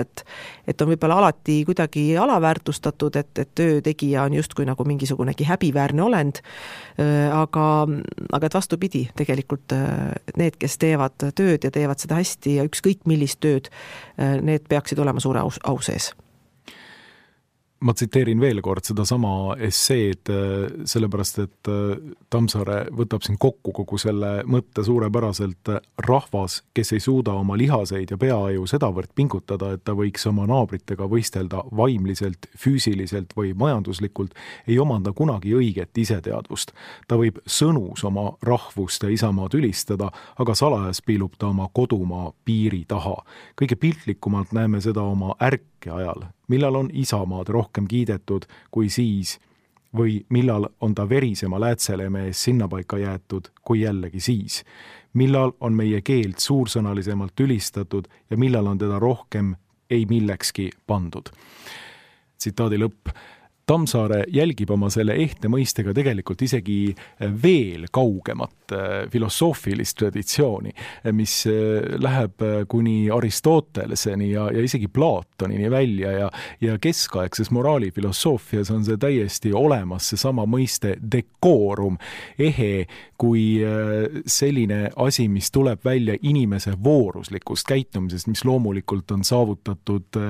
et on võib-olla alati kuidagi alaväärtustatud, et töö tegija on justkui nagu mingisugunegi häbiväärne olend, aga et vastupidi, tegelikult need, kes teevad tööd ja teevad seda hästi ja ükskõik millist tööd, need peaksid olema suure au sees. Ma tsiteerin veel kord seda sama esseed, sellepärast, et Tammsaare võtab siin kokku kogu selle mõtte suurepäraselt. Rahvas, kes ei suuda oma lihaseid ja peaaju sedavõrd pingutada, et ta võiks oma naabritega võistelda vaimliselt, füüsiliselt või majanduslikult, ei omanda kunagi õiget iseteadvust. Ta võib sõnus oma rahvust ja isamaad ülistada, aga salajas piilub ta oma kodumaa piiri taha. Kõige piltlikumalt näeme seda oma ärke ajal, millal on isamaad rohkem kiidetud kui siis või millal on ta verisema läätseleme ees sinnapaika jäetud kui jällegi siis. Millal on meie keelt suursõnalisemalt ülistatud ja millal on teda rohkem ei millekski pandud. Tsitaadi lõpp. Tammsaare jälgib oma selle ehte mõistega tegelikult isegi veel kaugemat filosoofilist traditsiooni, mis läheb kuni Aristoteleseni ja isegi Platonini välja ja keskaegses moraalifilosoofias on see täiesti olemas, see sama mõiste dekoorum, ehe kui selline asi, mis tuleb välja inimese vooruslikust käitumisest, mis loomulikult on saavutatud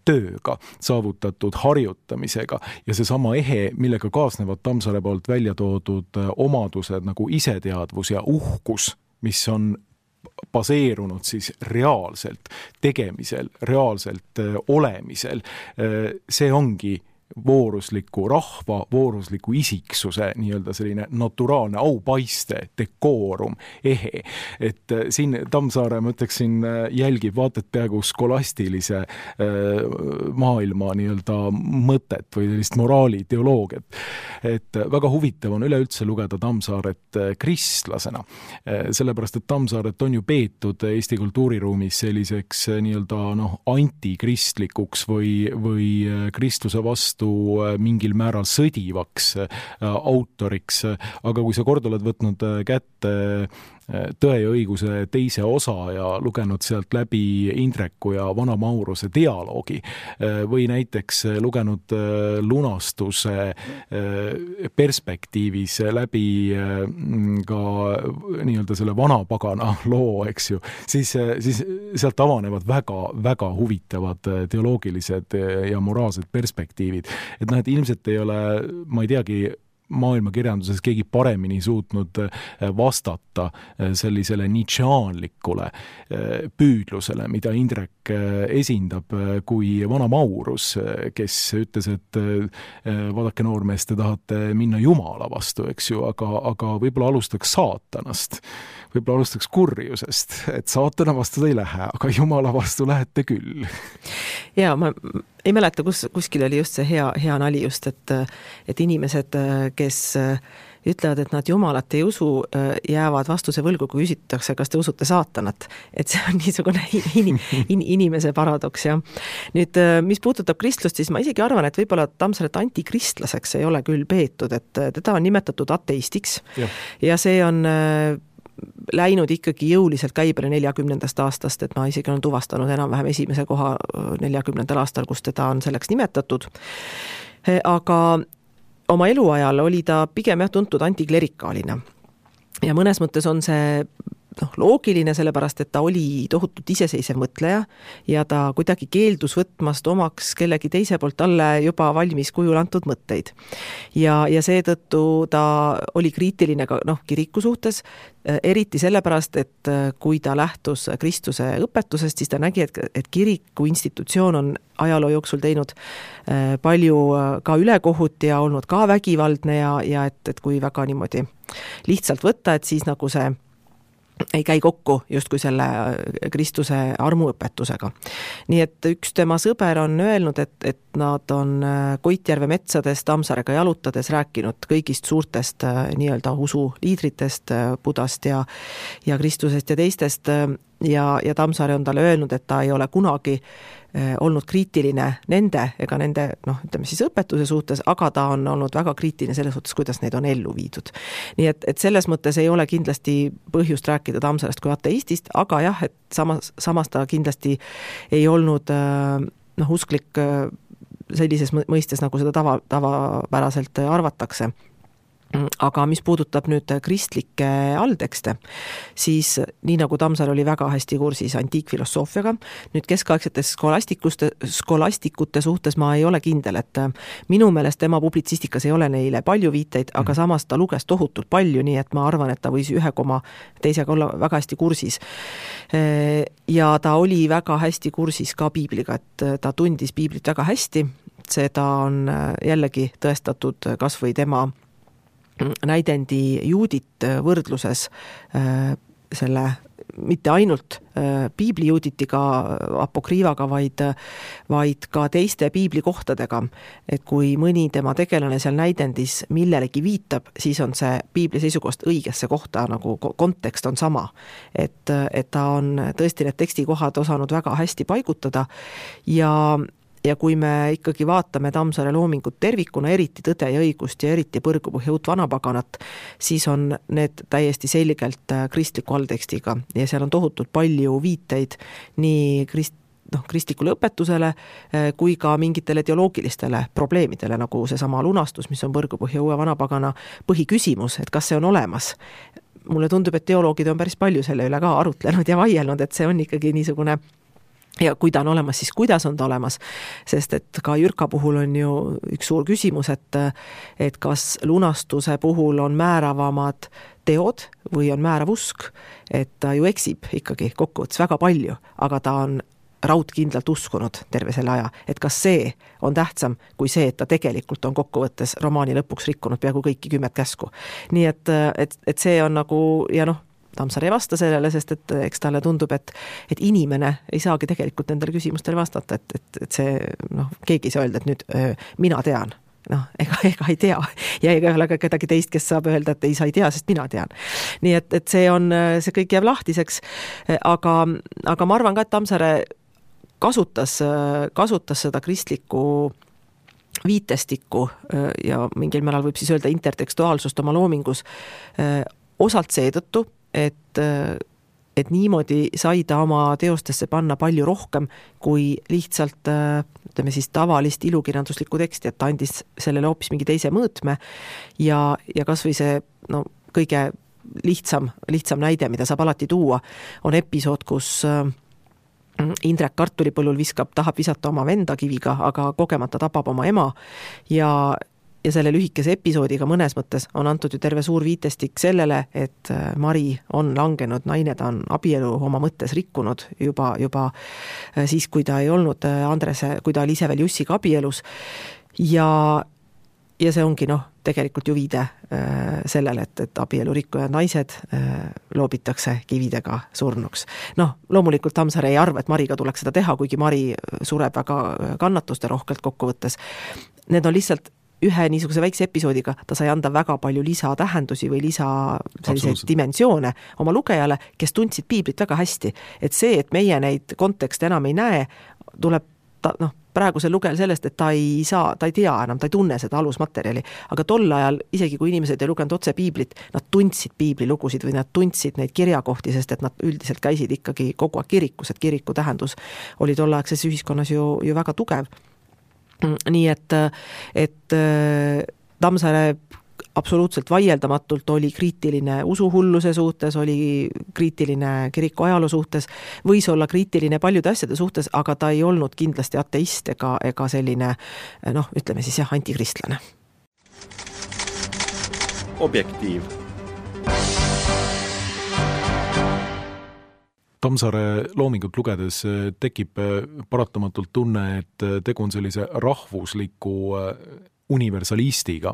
tööga, saavutatud harjutamisega. Ja see sama ehe, millega kaasnevad Tammsaare poolt välja toodud omadused nagu iseteadvus ja uhkus, mis on baseerunud siis reaalselt tegemisel, reaalselt olemisel, see ongi voorusliku rahva, voorusliku isiksuse nii-öelda selline naturaalne aupaiste, dekoorum, ehe. Et siin Tammsaare, ma ütleksin, jälgib vaated peaaegu skolastilise maailma nii-öelda mõtet või sellist moraali, teoloogiat. Et väga huvitav on üleüldse lugeda Tammsaaret kristlasena, sellepärast, et Tammsaaret on ju peetud Eesti kultuuriruumis selliseks nii-öelda antikristlikuks või kristluse vastu mingil määral sõdivaks autoriks, aga kui sa kord oled võtnud kätte Tõe ja õiguse teise osa ja lugenud sealt läbi Indreku ja Vana Mauruse dialoogi või näiteks lugenud lunastuse perspektiivis läbi ka nii-öelda selle vanapagana loo, eks ju, siis sealt avanevad väga huvitavad teoloogilised ja moraalsed perspektiivid. Et et ilmselt ei ole, ma ei teagi, maailmakirjanduses keegi paremini suutnud vastata sellisele nietzscheanlikule püüdlusele, mida Indrek esindab, kui Vana Maurus, kes ütles, et vaadake noormees, te tahate minna Jumala vastu, eks ju, aga võib-olla alustaks saatanast, võib-olla alustaks kurjusest, et saatana vastu te ei lähe, aga Jumala vastu lähete küll. Ja ma ei mäleta, kuskil oli just see hea nali just, et inimesed, kes ütlevad, et nad Jumalat ei usu, jäävad vastuse võlgu, kui küsitakse, kas te usute saatanat. Et see on niisugune inimese paradoks. Ja. Nüüd, mis puudutab kristlust, siis ma isegi arvan, et võib-olla Tammsaaret antikristlaseks ei ole küll peetud, et teda on nimetatud ateistiks ja see on läinud ikkagi jõuliselt käibele 40. aastast, et ma isegi olen tuvastanud enam-vähem esimese koha 40. aastal, kus teda on selleks nimetatud. Aga oma eluajal oli ta pigem tuntud antiklerikaalina. Ja mõnes mõttes on see loogiline, sellepärast, et ta oli tohutult iseseisev mõtleja ja ta kuidagi keeldus võtmast omaks kellegi teise poolt talle juba valmis kujul antud mõtteid. Ja seetõttu ta oli kriitiline ka kiriku suhtes, eriti sellepärast, et kui ta lähtus Kristuse õpetusest, siis ta nägi, et kiriku institutsioon on ajaloo jooksul teinud palju ka ülekohut ja olnud ka vägivaldne ja et kui väga niimoodi lihtsalt võtta, et siis nagu see ei käi kokku justkui selle Kristuse armuõpetusega. Nii et üks tema sõber on öelnud, et nad on Koitjärve metsades Tammsaarega jalutades rääkinud kõigist suurtest nii-öelda usuliidritest, Budast ja Kristusest ja teistest ja Tammsaare on talle öelnud, et ta ei ole kunagi olnud kriitiline nende ega nende, ütleme siis õpetuse suhtes, aga ta on olnud väga kriitiline selles suhtes, kuidas neid on ellu viidud. Nii et selles mõttes ei ole kindlasti põhjust rääkida Tammsaarest kui ateistist, aga jah, et samas ta kindlasti ei olnud usklik sellises mõistes, nagu seda tavapäraselt arvatakse. Aga mis puudutab nüüd kristlikke alltekste, siis nii nagu Tammsaare oli väga hästi kursis antiikfilosoofiaga, nüüd keskaegsete skolastikute suhtes ma ei ole kindel, et minu meelest tema publitsistikas ei ole neile palju viiteid, aga samas ta luges tohutult palju, nii et ma arvan, et ta võis teisega olla väga hästi kursis. Ja ta oli väga hästi kursis ka piibliga, et ta tundis piiblit väga hästi, seda on jällegi tõestatud kas või tema näidendi Juudit võrdluses selle mitte ainult piibli Juuditiga, apokriivaga, vaid ka teiste piibli kohtadega. Et kui mõni tema tegelane seal näidendis millelegi viitab, siis on see piibli seisukohast õigesse kohta, nagu kontekst on sama. Et ta on tõesti need tekstikohad osanud väga hästi paigutada ja kui me ikkagi vaatame Tammsaare loomingut tervikuna, eriti Tõde ja õigust ja eriti Põrgupõhja uut vanapaganat, siis on need täiesti selgelt kristliku alltekstiga ja seal on tohutult palju viiteid nii kristlikule õpetusele kui ka mingitele teoloogilistele probleemidele, nagu seesama lunastus, mis on Põrgupõhja uue vanapagana põhiküsimus, et kas see on olemas. Mulle tundub, et teoloogid on päris palju selle üle ka arutlenud ja vaielnud, et see on ikkagi niisugune ja kui ta on olemas, siis kuidas on ta olemas, sest et ka Jürka puhul on ju üks suur küsimus, et kas lunastuse puhul on määravamad teod või on määrav usk, et ta ju eksib ikkagi kokkuvõttes väga palju, aga ta on raudkindlalt uskunud terve selle aja, et kas see on tähtsam kui see, et ta tegelikult on kokkuvõttes romaani lõpuks rikkunud peaaegu kõiki 10 käsku. Nii et see on nagu, ja Tammsaare ei vasta sellele, sest et eks talle tundub, et inimene ei saagi tegelikult nendele küsimustele vastata, et see, keegi ei saa öelda, et nüüd mina tean. Ega ei tea ja ega ei ole ka kedagi teist, kes saab öelda, et ei, sa ei tea, sest mina tean. Nii et see kõik jääb lahtiseks, aga ma arvan ka, et Tammsaare kasutas seda kristlikku viitestikku ja mingil määral võib siis öelda intertekstuaalsust oma loomingus osalt seetõttu, et niimoodi sai ta oma teostesse panna palju rohkem kui lihtsalt ütleme siis tavalist ilukirjanduslikku teksti, et ta andis sellele hoopis mingi teise mõõtme ja kas või see kõige lihtsam näide, mida saab alati tuua, on episood, kus Indrek kartulipõllul tahab visata oma venda kiviga, aga kogemata tapab oma ema ja selle lühikese episoodiga mõnes mõttes on antud ju terve suur viitestik sellele, et Mari on langenud naine, ta on abielu oma mõttes rikkunud juba siis, kui ta ei olnud Andrese, kui ta oli ise veel Jussiga abielus ja see ongi tegelikult ju viide sellele, et abielu rikkujad naised loobitakse kividega surnuks. Loomulikult Tammsaare ei arva, et Mariga tuleks seda teha, kuigi Mari sureb väga kannatuste rohkelt kokkuvõttes. Need on lihtsalt ühe niisuguse väikse episoodiga, ta sai anda väga palju lisatähendusi või selliseid dimensioone oma lugejale, kes tundsid piiblit väga hästi. Et see, et meie neid kontekste enam ei näe, tuleb praegusel lugejal sellest, et ta ei tea enam, ta ei tunne seda alusmaterjali. Aga tol ajal, isegi kui inimesed ei lugenud otse piiblit, nad tundsid piiblilugusid või nad tundsid neid kirjakohti, sest et nad üldiselt käisid ikkagi kogu aeg kirikus, et kiriku tähendus oli tollaegses ühiskonnas ju väga tugev. Nii et Tammsaare absoluutselt vaieldamatult oli kriitiline usuhulluse suhtes, oli kriitiline kiriku ajaloo suhtes, võis olla kriitiline paljude asjade suhtes, aga ta ei olnud kindlasti ateist ega selline, ütleme siis antikristlane. Objektiiv. Tammsaare loomingut lugedes tekib paratamatult tunne, et tegu on sellise rahvusliku universalistiga.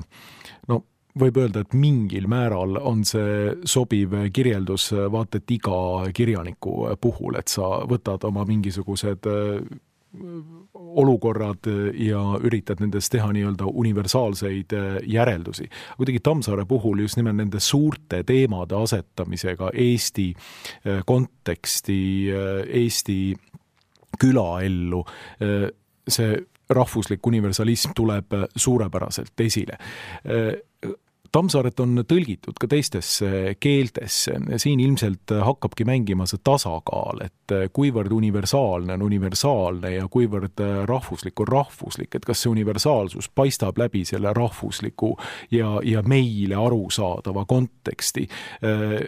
Võib öelda, et mingil määral on see sobiv kirjeldus vaata et iga kirjaniku puhul, et sa võtad oma mingisugused olukorrad ja üritad nendest teha nii-öelda universaalseid järeldusi. Kuidagi Tammsaare puhul just nimelt nende suurte teemade asetamisega Eesti konteksti, Eesti külaellu, see rahvuslik universalism tuleb suurepäraselt esile. Tammsaaret on tõlgitud ka teistesse keeltesse. Siin ilmselt hakkabki mängima see tasakaal, et kuivõrd universaalne on universaalne ja kuivõrd rahvuslik on rahvuslik, et kas see universaalsus paistab läbi selle rahvusliku ja meile arusaadava konteksti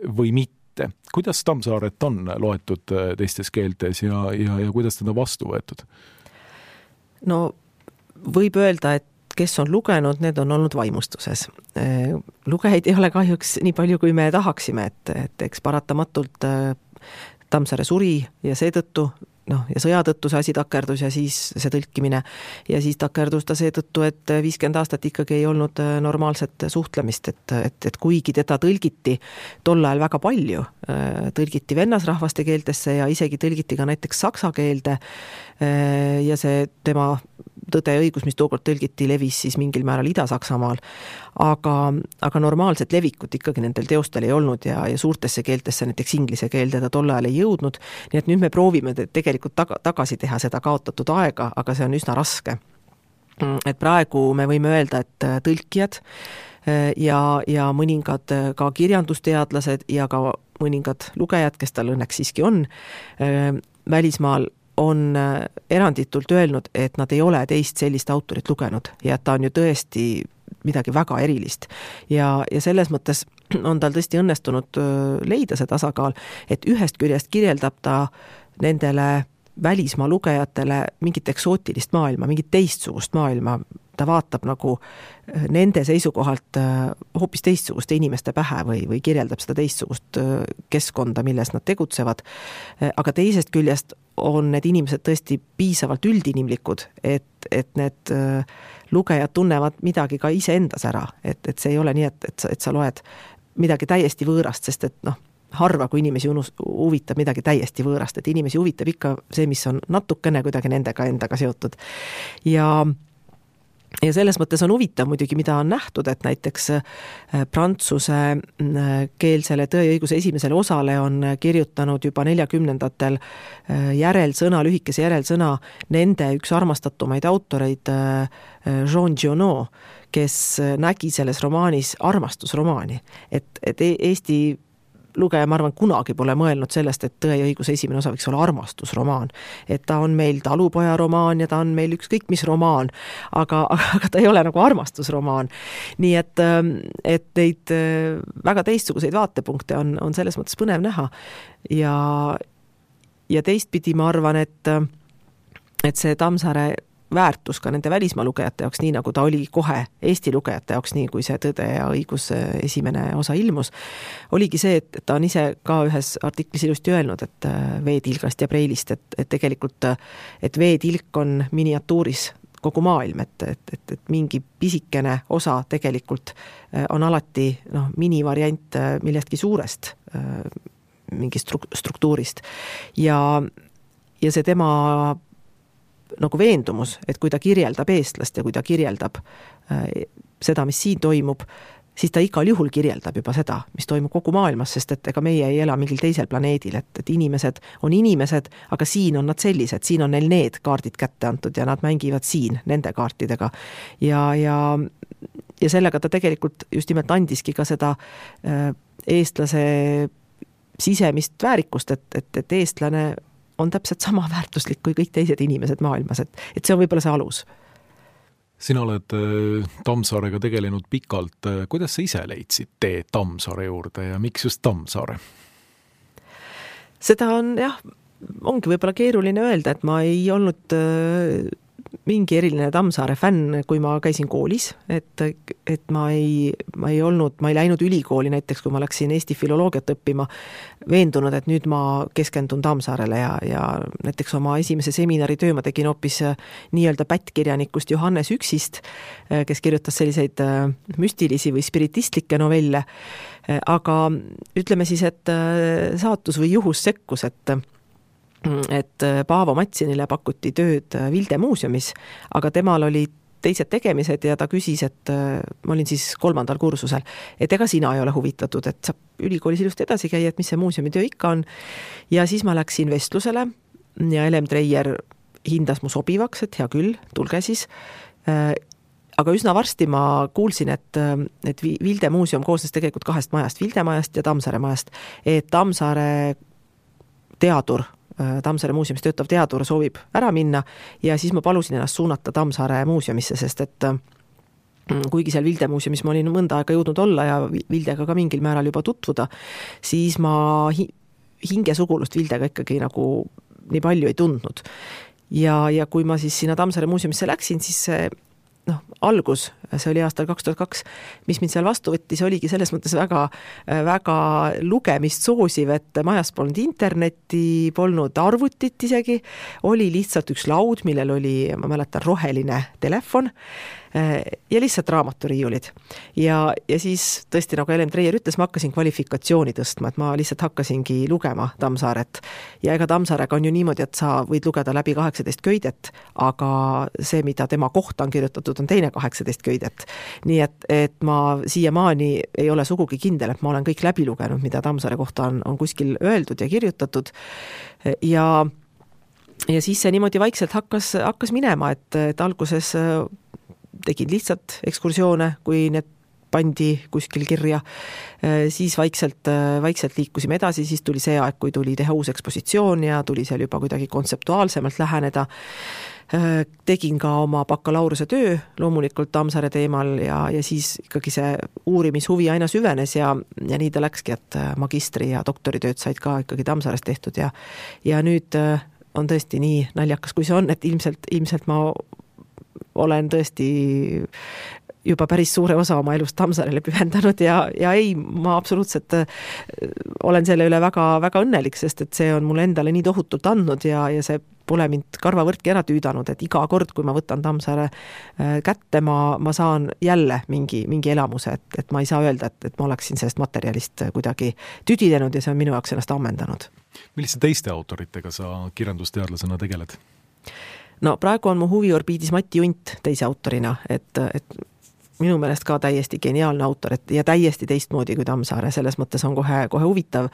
või mitte. Kuidas Tammsaaret on loetud teistes keeltes ja kuidas teda vastu võetud? Võib öelda, et kes on lugenud, need on olnud vaimustuses. Lugejaid ei ole kahjuks nii palju, kui me tahaksime, et eks paratamatult Tammsaare suri ja seetõttu, ja sõja tõttu see asi takerdus ja siis see tõlkimine ja siis takerdus ta seetõttu, et 50 aastat ikkagi ei olnud normaalset suhtlemist, et kuigi teda tõlgiti tol ajal väga palju, tõlgiti vennasrahvaste keeltesse ja isegi tõlgiti ka näiteks saksa keelde ja see tema Tõde ja õigus, mis tookord tõlgiti, levis siis mingil määral Ida-Saksamaal, aga normaalset levikut ikkagi nendel teostel ei olnud ja suurtesse keeltesse, näiteks inglise keelde ta tol ajal ei jõudnud, nii et nüüd me proovime tegelikult tagasi teha seda kaotatud aega, aga see on üsna raske. Et praegu me võime öelda, et tõlkijad ja mõningad ka kirjandusteadlased ja ka mõningad lugejad, kes tal õnneks siiski on, välismaal on eranditult öelnud, et nad ei ole teist sellist autorit lugenud ja et ta on ju tõesti midagi väga erilist. Ja selles mõttes on tal tõesti õnnestunud leida see tasakaal, et ühest küljest kirjeldab ta nendele välismaa lugejatele mingit eksootilist maailma, mingit teistsugust maailma, ta vaatab nagu nende seisukohalt hoopis teistsuguste inimeste pähe või kirjeldab seda teistsugust keskkonda, milles nad tegutsevad. Aga teisest küljest on need inimesed tõesti piisavalt üldinimlikud, et need lugejad tunnevad midagi ka ise endas ära. Et see ei ole nii, et sa loed midagi täiesti võõrast, sest et harva, kui inimesi huvitab midagi täiesti võõrast, et inimesi huvitab ikka see, mis on natukene kuidagi endaga seotud. Ja selles mõttes on huvitav muidugi, mida on nähtud, et näiteks prantsuse keelsele Tõe ja õiguse esimesele osale on kirjutanud juba 40ndatel järelsõna, lühikese järelsõna nende üks armastatumaid autoreid Jean Giono, kes nägi selles romaanis armastusromaani. Et Eesti lugeja, ma arvan, kunagi pole mõelnud sellest, et Tõe ja õiguse esimene osa võiks olla armastusromaan. Et ta on meil talupoja romaan ja ta on meil ükskõik mis romaan, aga ta ei ole nagu armastusromaan. Nii et neid väga teistsuguseid vaatepunkte on selles mõttes põnev näha. Ja teistpidi ma arvan, et see Tammsaare väärtus ka nende välismaa lugejate jaoks, nii nagu ta oli kohe Eesti lugejate jaoks, nii kui see Tõde ja õigus esimene osa ilmus, oligi see, et ta on ise ka ühes artiklis ilusti öelnud, et veetilgast ja preilist, et tegelikult et veetilk on miniatuuris kogu maailm, et mingi pisikene osa tegelikult on alati minivariant millestki suurest mingist struktuurist. Ja see tema nagu veendumus, et kui ta kirjeldab eestlast ja kui ta kirjeldab seda, mis siin toimub, siis ta igal juhul kirjeldab juba seda, mis toimub kogu maailmas, sest et ega meie ei ela mingil teisel planeedil, et inimesed on inimesed, aga siin on nad sellised, siin on neil need kaardid kätte antud ja nad mängivad siin nende kaartidega. Ja sellega ta tegelikult just nimelt andiski ka seda eestlase sisemist väärikust, et eestlane on täpselt sama väärtuslik kui kõik teised inimesed maailmas, et see on võib-olla see alus. Sina oled Tammsaarega tegelenud pikalt. Kuidas sa ise leidsid tee Tammsaare juurde ja miks just Tammsaare? Seda on ongi võib-olla keeruline öelda, et ma ei olnud mingi eriline Tammsaare fänn, kui ma käisin koolis, et ma ei läinud ülikooli näiteks, kui ma läksin Eesti filoloogiat õppima, veendunud, et nüüd ma keskendun Tammsaarele ja näiteks oma esimese seminari töö ma tegin hoopis nii-öelda pättkirjanikust Johannes Üksist, kes kirjutas selliseid müstilisi või spiritistlikke novelle, aga ütleme siis, et saatus või juhus sekkus, et Paavo Matsinile pakuti tööd Vilde muuseumis, aga temal oli teised tegemised ja ta küsis, et ma olin siis 3. kursusel, et ega sina ei ole huvitatud, et saab ülikoolis ilusti edasi käia, et mis see muuseumitöö ikka on. Ja siis ma läksin vestlusele ja Elem Treier hindas mu sobivaks, et hea küll, tulge siis. Aga üsna varsti ma kuulsin, et Vilde muuseum koosnes tegelikult 2 majast, Vilde majast ja Tammsaare majast, et Tammsaare teadur, Tammsaare muuseumis töötav teadur soovib ära minna ja siis ma palusin ennast suunata Tammsaare muuseumisse, sest et kuigi seal Vilde muuseumis ma olin mõnda aega jõudnud olla ja Vildega ka mingil määral juba tutvuda, siis ma hingesugulust Vildega ikkagi nagu nii palju ei tundnud. Ja kui ma siis sinna Tammsaare muuseumisse läksin, siis algus, see oli aastal 2002, mis mind seal vastu võttis, oligi selles mõttes väga, väga lugemist soosiv, et majas polnud internetti, polnud arvutit isegi, oli lihtsalt üks laud, millel oli, ma mäletan, roheline telefon ja lihtsalt raamaturiiulid. Ja siis tõesti, nagu Elem Treier ütles, ma hakkasin kvalifikatsiooni tõstma, et ma lihtsalt hakkasingi lugema Tammsaaret. Ja ega Tammsaarega on ju niimoodi, et sa võid lugeda läbi 18 köidet, aga see, mida tema kohta on kirjutatud, on teine 18 köidet. Nii et ma siiamaani ei ole sugugi kindel, et ma olen kõik läbi lugenud, mida Tammsaare kohta on kuskil öeldud ja kirjutatud. Ja siis see niimoodi vaikselt hakkas minema, et alguses tegin lihtsalt ekskursioone, kui need pandi kuskil kirja, siis vaikselt liikusime edasi, siis tuli see aeg, kui tuli teha uus ekspositsioon ja tuli seal juba kuidagi kontseptuaalsemalt läheneda. Tegin ka oma bakalaureuse töö loomulikult Tammsaare teemal ja siis ikkagi see uurimishuvi aina süvenes ja nii ta läkski, et magistri ja doktoritööd said ka ikkagi Tammsaarest tehtud ja nüüd on tõesti nii naljakas, kui see on, et ilmselt ma olen tõesti juba päris suure osa oma elust Tammsaarele pühendanud ja ei, ma absoluutselt olen selle üle väga, väga õnnelik, sest et see on mulle endale nii tohutult andnud ja see pole mind karvavõrdki ära tüüdanud, et iga kord, kui ma võtan Tammsaare kätte, ma saan jälle mingi elamuse, et ma ei saa öelda, et ma oleksin sellest materjalist kuidagi tüdinenud ja see on minu jaoks ennast ammendanud. Milliste teiste autoritega sa kirjandusteadlasena tegeled? No praegu on mu huviorbiidis Mati Unt teise autorina, et minu meelest ka täiesti geniaalne autor ja täiesti teistmoodi kui Tammsaare, selles mõttes on kohe huvitav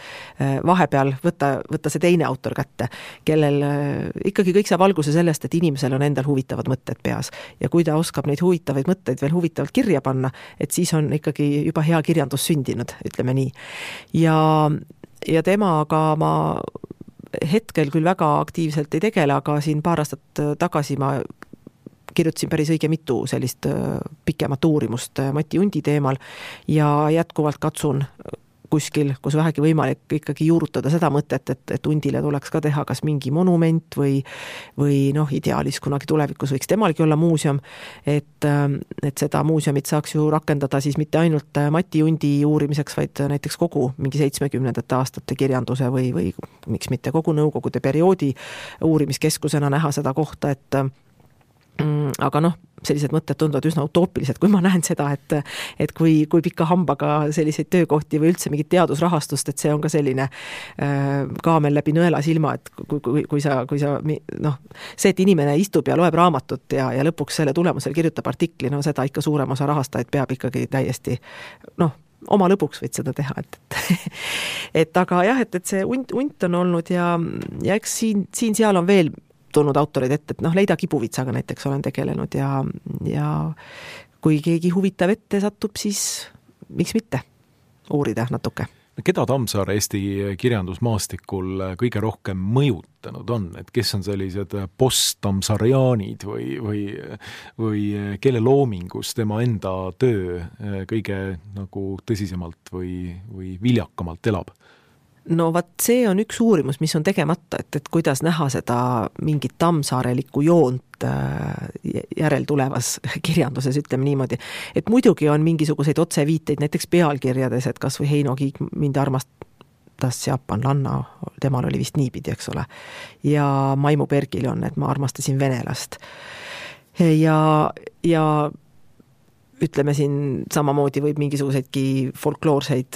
vahepeal võtta see teine autor kätte, kellel ikkagi kõik saab alguse sellest, et inimesel on endal huvitavad mõtted peas ja kui ta oskab neid huvitavaid mõtteid veel huvitavalt kirja panna, et siis on ikkagi juba hea kirjandus sündinud, ütleme nii. Ja temaga ma hetkel küll väga aktiivselt ei tegele, aga siin paar aastat tagasi ma kirjutasin päris õige mitu sellist pikemat uurimust Mati Undi teemal ja jätkuvalt katsun kuskil, kus vähegi võimalik ikkagi juurutada seda mõtet, et Undile tuleks ka teha kas mingi monument või ideaalis kunagi tulevikus võiks temalgi olla muuseum, et seda muuseumit saaks ju rakendada siis mitte ainult Mati Undi uurimiseks, vaid näiteks kogu mingi 70. aastate kirjanduse või miks mitte kogu nõukogude perioodi uurimiskeskusena näha seda kohta, aga sellised mõtted tunduvad üsna utoopilised, kui ma näen seda, et kui pika hambaga selliseid töökohti või üldse mingit teadusrahastust, et see on ka selline kaamel läbi nõela silma, et kui sa see, et inimene istub ja loeb raamatut ja lõpuks selle tulemusel kirjutab artikli, seda ikka suurem osa rahastajaid peab ikkagi täiesti oma lõbuks võid seda teha, et aga jah, et see unt on olnud ja eks siin-seal on veel tulnud autorid ette, et Leida Kibuvitsaga näiteks olen tegelenud ja kui keegi huvitav ette satub, siis miks mitte uurida natuke. Keda Tammsaare Eesti kirjandusmaastikul kõige rohkem mõjutanud on, et kes on sellised post-Tammsaariaanid või kelle loomingus tema enda töö kõige tõsisemalt või viljakamalt elab? No vaat see on üks uurimus, mis on tegemata, et kuidas näha seda mingit tammsaarelikku joont järeltulevas kirjanduses, ütleme niimoodi. Et muidugi on mingisuguseid otseviiteid näiteks pealkirjades, et kas või Heino Kiik mind armastas Jaapanlanna, temal oli vist niipidi, eks ole. Ja Maimu Pergil on, et ma armastasin venelast. Ja ütleme siin samamoodi võib mingisuguseidki folkloorseid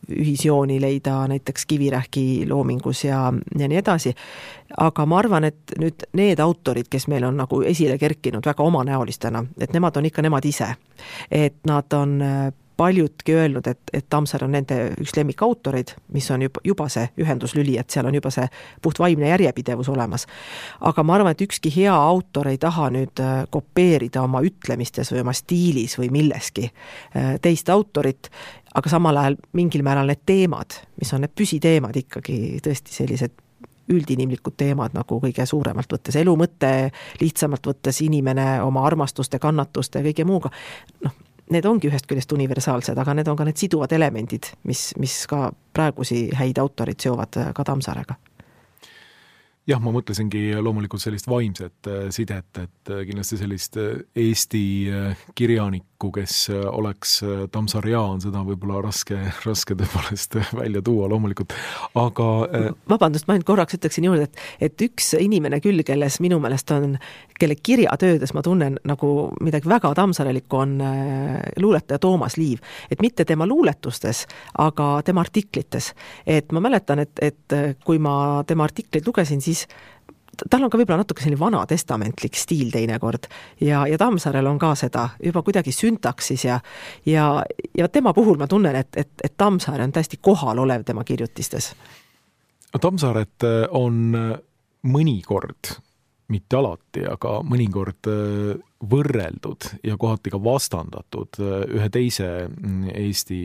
ühisjooni leida näiteks Kivirähki loomingus ja nii edasi. Aga ma arvan, et nüüd need autorid, kes meil on nagu esile kerkinud väga omanäolistena, et nemad on ikka nemad ise. Et nad on paljudki öelnud, et Tammsaare on nende üks lemmikautoreid, mis on juba see ühenduslüli, et seal on juba see puht vaimne järjepidevus olemas. Aga ma arvan, et ükski hea autor ei taha nüüd kopeerida oma ütlemistes või oma stiilis või milleski teist autorit, aga samal ajal mingil määral need teemad, mis on need püsiteemad ikkagi tõesti sellised üldinimlikud teemad nagu kõige suuremalt võttes elu mõte, lihtsamalt võttes inimene oma armastuste, kannatuste ja kõige muuga, need ongi ühest küljest universaalsed, aga need on ka need siduvad elemendid, mis ka praegusi häid autorid seovad ka Tammsaarega. Jah, ma mõtlesingi loomulikult sellist vaimset sidet, et kindlasti sellist Eesti kirjanikku, kes oleks Tammsaariaan, seda võib-olla raske tõepoolest välja tuua loomulikult, aga vabandust, ma ainult korraks ütleksin juurde, et üks inimene küll, kelles minu meelest on, kelle kirjatöödes ma tunnen nagu midagi väga tammsaarelikku, on luuletaja Toomas Liiv, et mitte tema luuletustes, aga tema artiklites, et ma mäletan, et kui ma tema artikleid lugesin, siis tal on ka võib-olla natuke selline vana testamentlik stiil teinekord ja Tammsaarel on ka seda juba kuidagi syntaksis ja tema puhul ma tunnen, et Tammsaare on täiesti kohal olev tema kirjutistes. Tammsaaret on mõnikord, mitte alati, aga mõnikord võrreldud ja kohati ka vastandatud ühe teise Eesti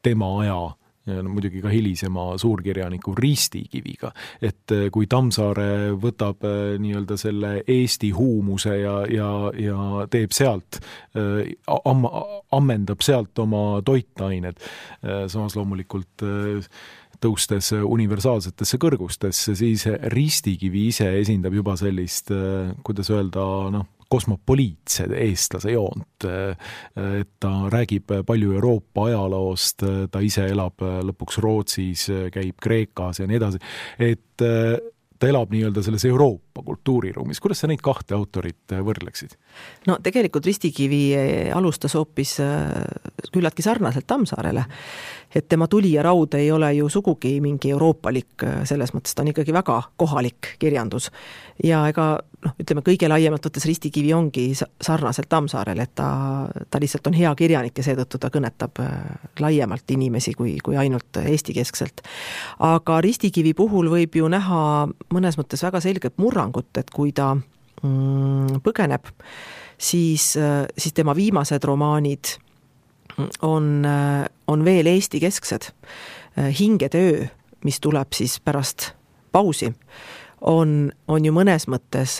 tema aja muidugi ka hilisema suurkirjaniku Risti Kiviga, et kui Tammsaare võtab nii-öelda selle Eesti huumuse ja teeb sealt, ammendab sealt oma toitained, samas loomulikult tõustes universaalsetesse kõrgustesse, siis Risti Kivi ise esindab juba sellist, kuidas öelda, kosmopoliitse eestlase joont, et ta räägib palju Euroopa ajaloost, ta ise elab lõpuks Rootsis, käib Kreekas ja nii edasi, et ta elab nii-öelda selles Euroopa kultuuriruumis. Kuidas sa neid kahte autorit võrdleksid? No tegelikult Ristikivi alustas hoopis küllaltki sarnaselt Tammsaarele, et tema Tuli ja raud ei ole ju sugugi mingi euroopalik, selles mõttes ta on ikkagi väga kohalik kirjandus. Ja ega ütleme kõige laiemalt võttes Ristikivi ongi sarnaselt Tammsaarele, et ta lihtsalt on hea kirjanik ja seetõttu ta kõnetab laiemalt inimesi kui ainult Eesti keskselt. Aga Ristikivi puhul võib ju näha mõnes mõttes väga selget murrangut, et kui ta põgeneb, siis tema viimased romaanid on veel Eesti kesksed. Hingede öö, mis tuleb siis pärast pausi, on ju mõnes mõttes,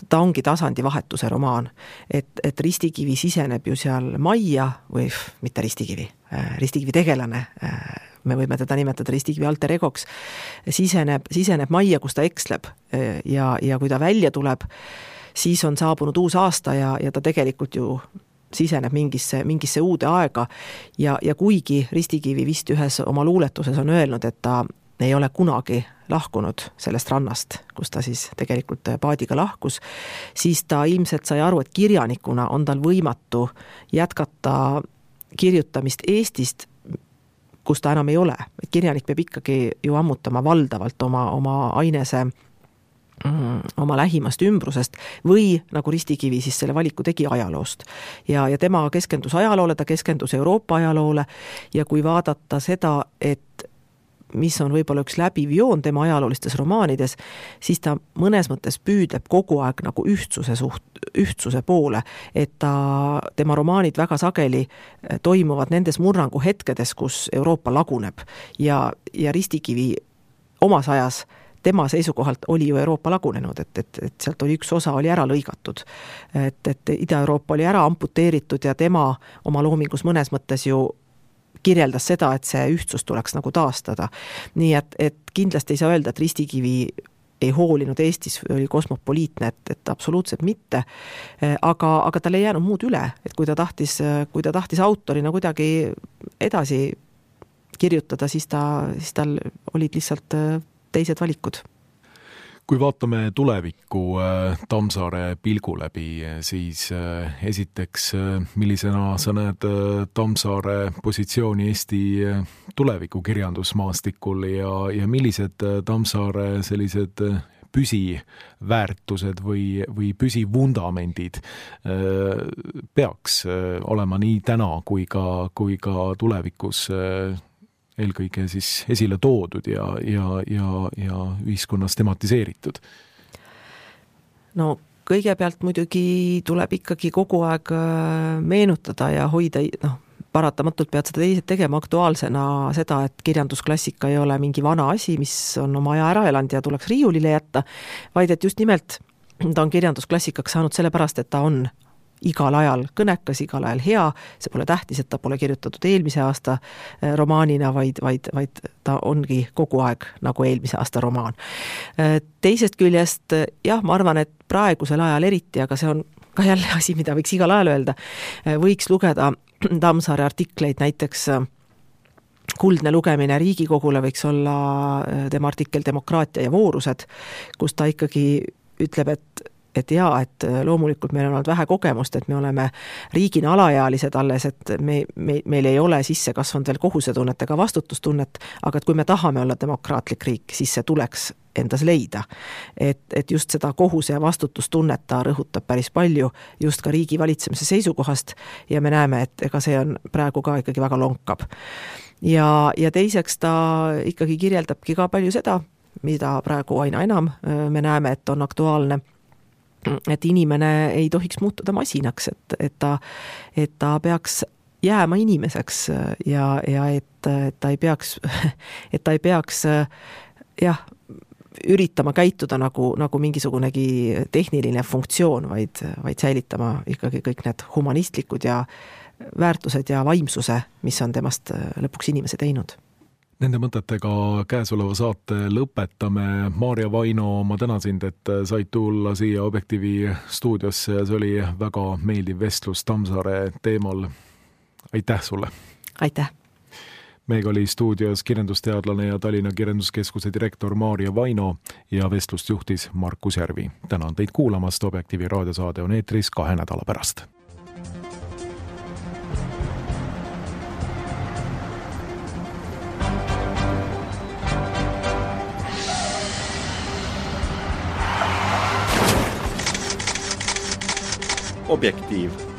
ta ongi tasandivahetuse romaan, et Ristikivi siseneb ju seal majja, või mitte Ristikivi tegelane, me võime teda nimetada Ristikivi alter egoks, siseneb majja, kus ta eksleb ja kui ta välja tuleb, siis on saabunud uus aasta ja ta tegelikult ju siseneb mingisse uude aega ja kuigi Ristikivi vist ühes oma luuletuses on öelnud, et ta ei ole kunagi lahkunud sellest rannast, kus ta siis tegelikult paadiga lahkus, siis ta ilmselt sai aru, et kirjanikuna on tal võimatu jätkata kirjutamist Eestist, kus ta enam ei ole. Kirjanik peab ikkagi ju ammutama valdavalt oma ainese oma lähimast ümbrusest või nagu Ristikivi siis selle valiku tegi ajaloost. Ja tema keskendus ajaloole, ta keskendus Euroopa ajaloole ja kui vaadata seda, et mis on võib-olla üks läbiv joon tema ajaloolistes romaanides, siis ta mõnes mõttes püüdleb kogu aeg nagu ühtsuse poole, et tema romaanid väga sageli toimuvad nendes murrangu hetkedes, kus Euroopa laguneb ja Ristikivi omas ajas tema seisukohalt oli ju Euroopa lagunenud, et sealt oli üks osa oli ära lõigatud, et Ida-Euroopa oli ära amputeeritud ja tema oma loomingus mõnes mõttes ju kirjeldas seda, et see ühtsus tuleks nagu taastada. Nii et kindlasti ei saa öelda, et Ristikivi ei hoolinud Eestis, oli kosmopoliitne, et absoluutselt mitte, aga tal ei jäänud muud üle, et kui ta tahtis autorina kuidagi edasi kirjutada, siis tal olid lihtsalt teised valikud. Kui vaatame tulevikku Tammsaare pilgu läbi, siis esiteks, millisena sa näed Tammsaare positsiooni Eesti tuleviku kirjandusmaastikul ja millised Tammsaare sellised püsiväärtused või püsivundamendid peaks olema nii täna kui ka tulevikus eelkõige siis esile toodud ja ühiskonnas tematiseeritud? No kõigepealt muidugi tuleb ikkagi kogu aeg meenutada ja hoida, paratamatult pead seda tegema aktuaalsena seda, et kirjandusklassika ei ole mingi vana asi, mis on oma aja ära elanud ja tuleks riiulile jätta, vaid et just nimelt ta on kirjandusklassikaks saanud sellepärast, et ta on igal ajal kõnekas, igal ajal hea, see pole tähtis, et ta pole kirjutatud eelmise aasta romaanina, vaid ta ongi kogu aeg nagu eelmise aasta romaan. Teisest küljest, jah, ma arvan, et praegusel ajal eriti, aga see on ka jälle asi, mida võiks igal ajal öelda, võiks lugeda Tammsaare artikleid, näiteks Kuldne lugemine Riigikogule võiks olla tema artikkel Demokraatia ja voorused, kus ta ikkagi ütleb, et loomulikult meil on olnud vähe kogemust, et me oleme riigina alaealised alles, et meil ei ole sisse kasvanud veel kohusetunnet ega vastutustunnet, aga et kui me tahame olla demokraatlik riik, siis see tuleks endas leida. Et just seda kohuse ja vastutustunnet ta rõhutab päris palju just ka riigi valitsemise seisukohast ja me näeme, et ega see on praegu ka ikkagi väga lonkab. Ja teiseks ta ikkagi kirjeldabki ka palju seda, mida praegu aina enam me näeme, et on aktuaalne, et inimene ei tohiks muutuda masinaks, et ta peaks jääma inimeseks ja et ta ei peaks üritama käituda nagu mingisugunegi tehniline funktsioon, vaid säilitama ikkagi kõik need humanistlikud ja väärtused ja vaimsuse, mis on temast lõpuks inimese teinud. Nende mõtetega käesoleva saate lõpetame. Maarja Vaino, ma tänan sind, et said tulla siia Objektiivi stuudiosse ja see oli väga meeldiv vestlus Tammsaare teemal. Aitäh sulle! Aitäh! Meiega oli stuudios kirjandusteadlane ja Tallinna Kirjanduskeskuse direktor Maarja Vaino ja vestlust juhtis Markus Järvi. Tänan teid kuulamast, Objektiivi raadiosaade on eetris 2 nädala pärast. Objektiiv.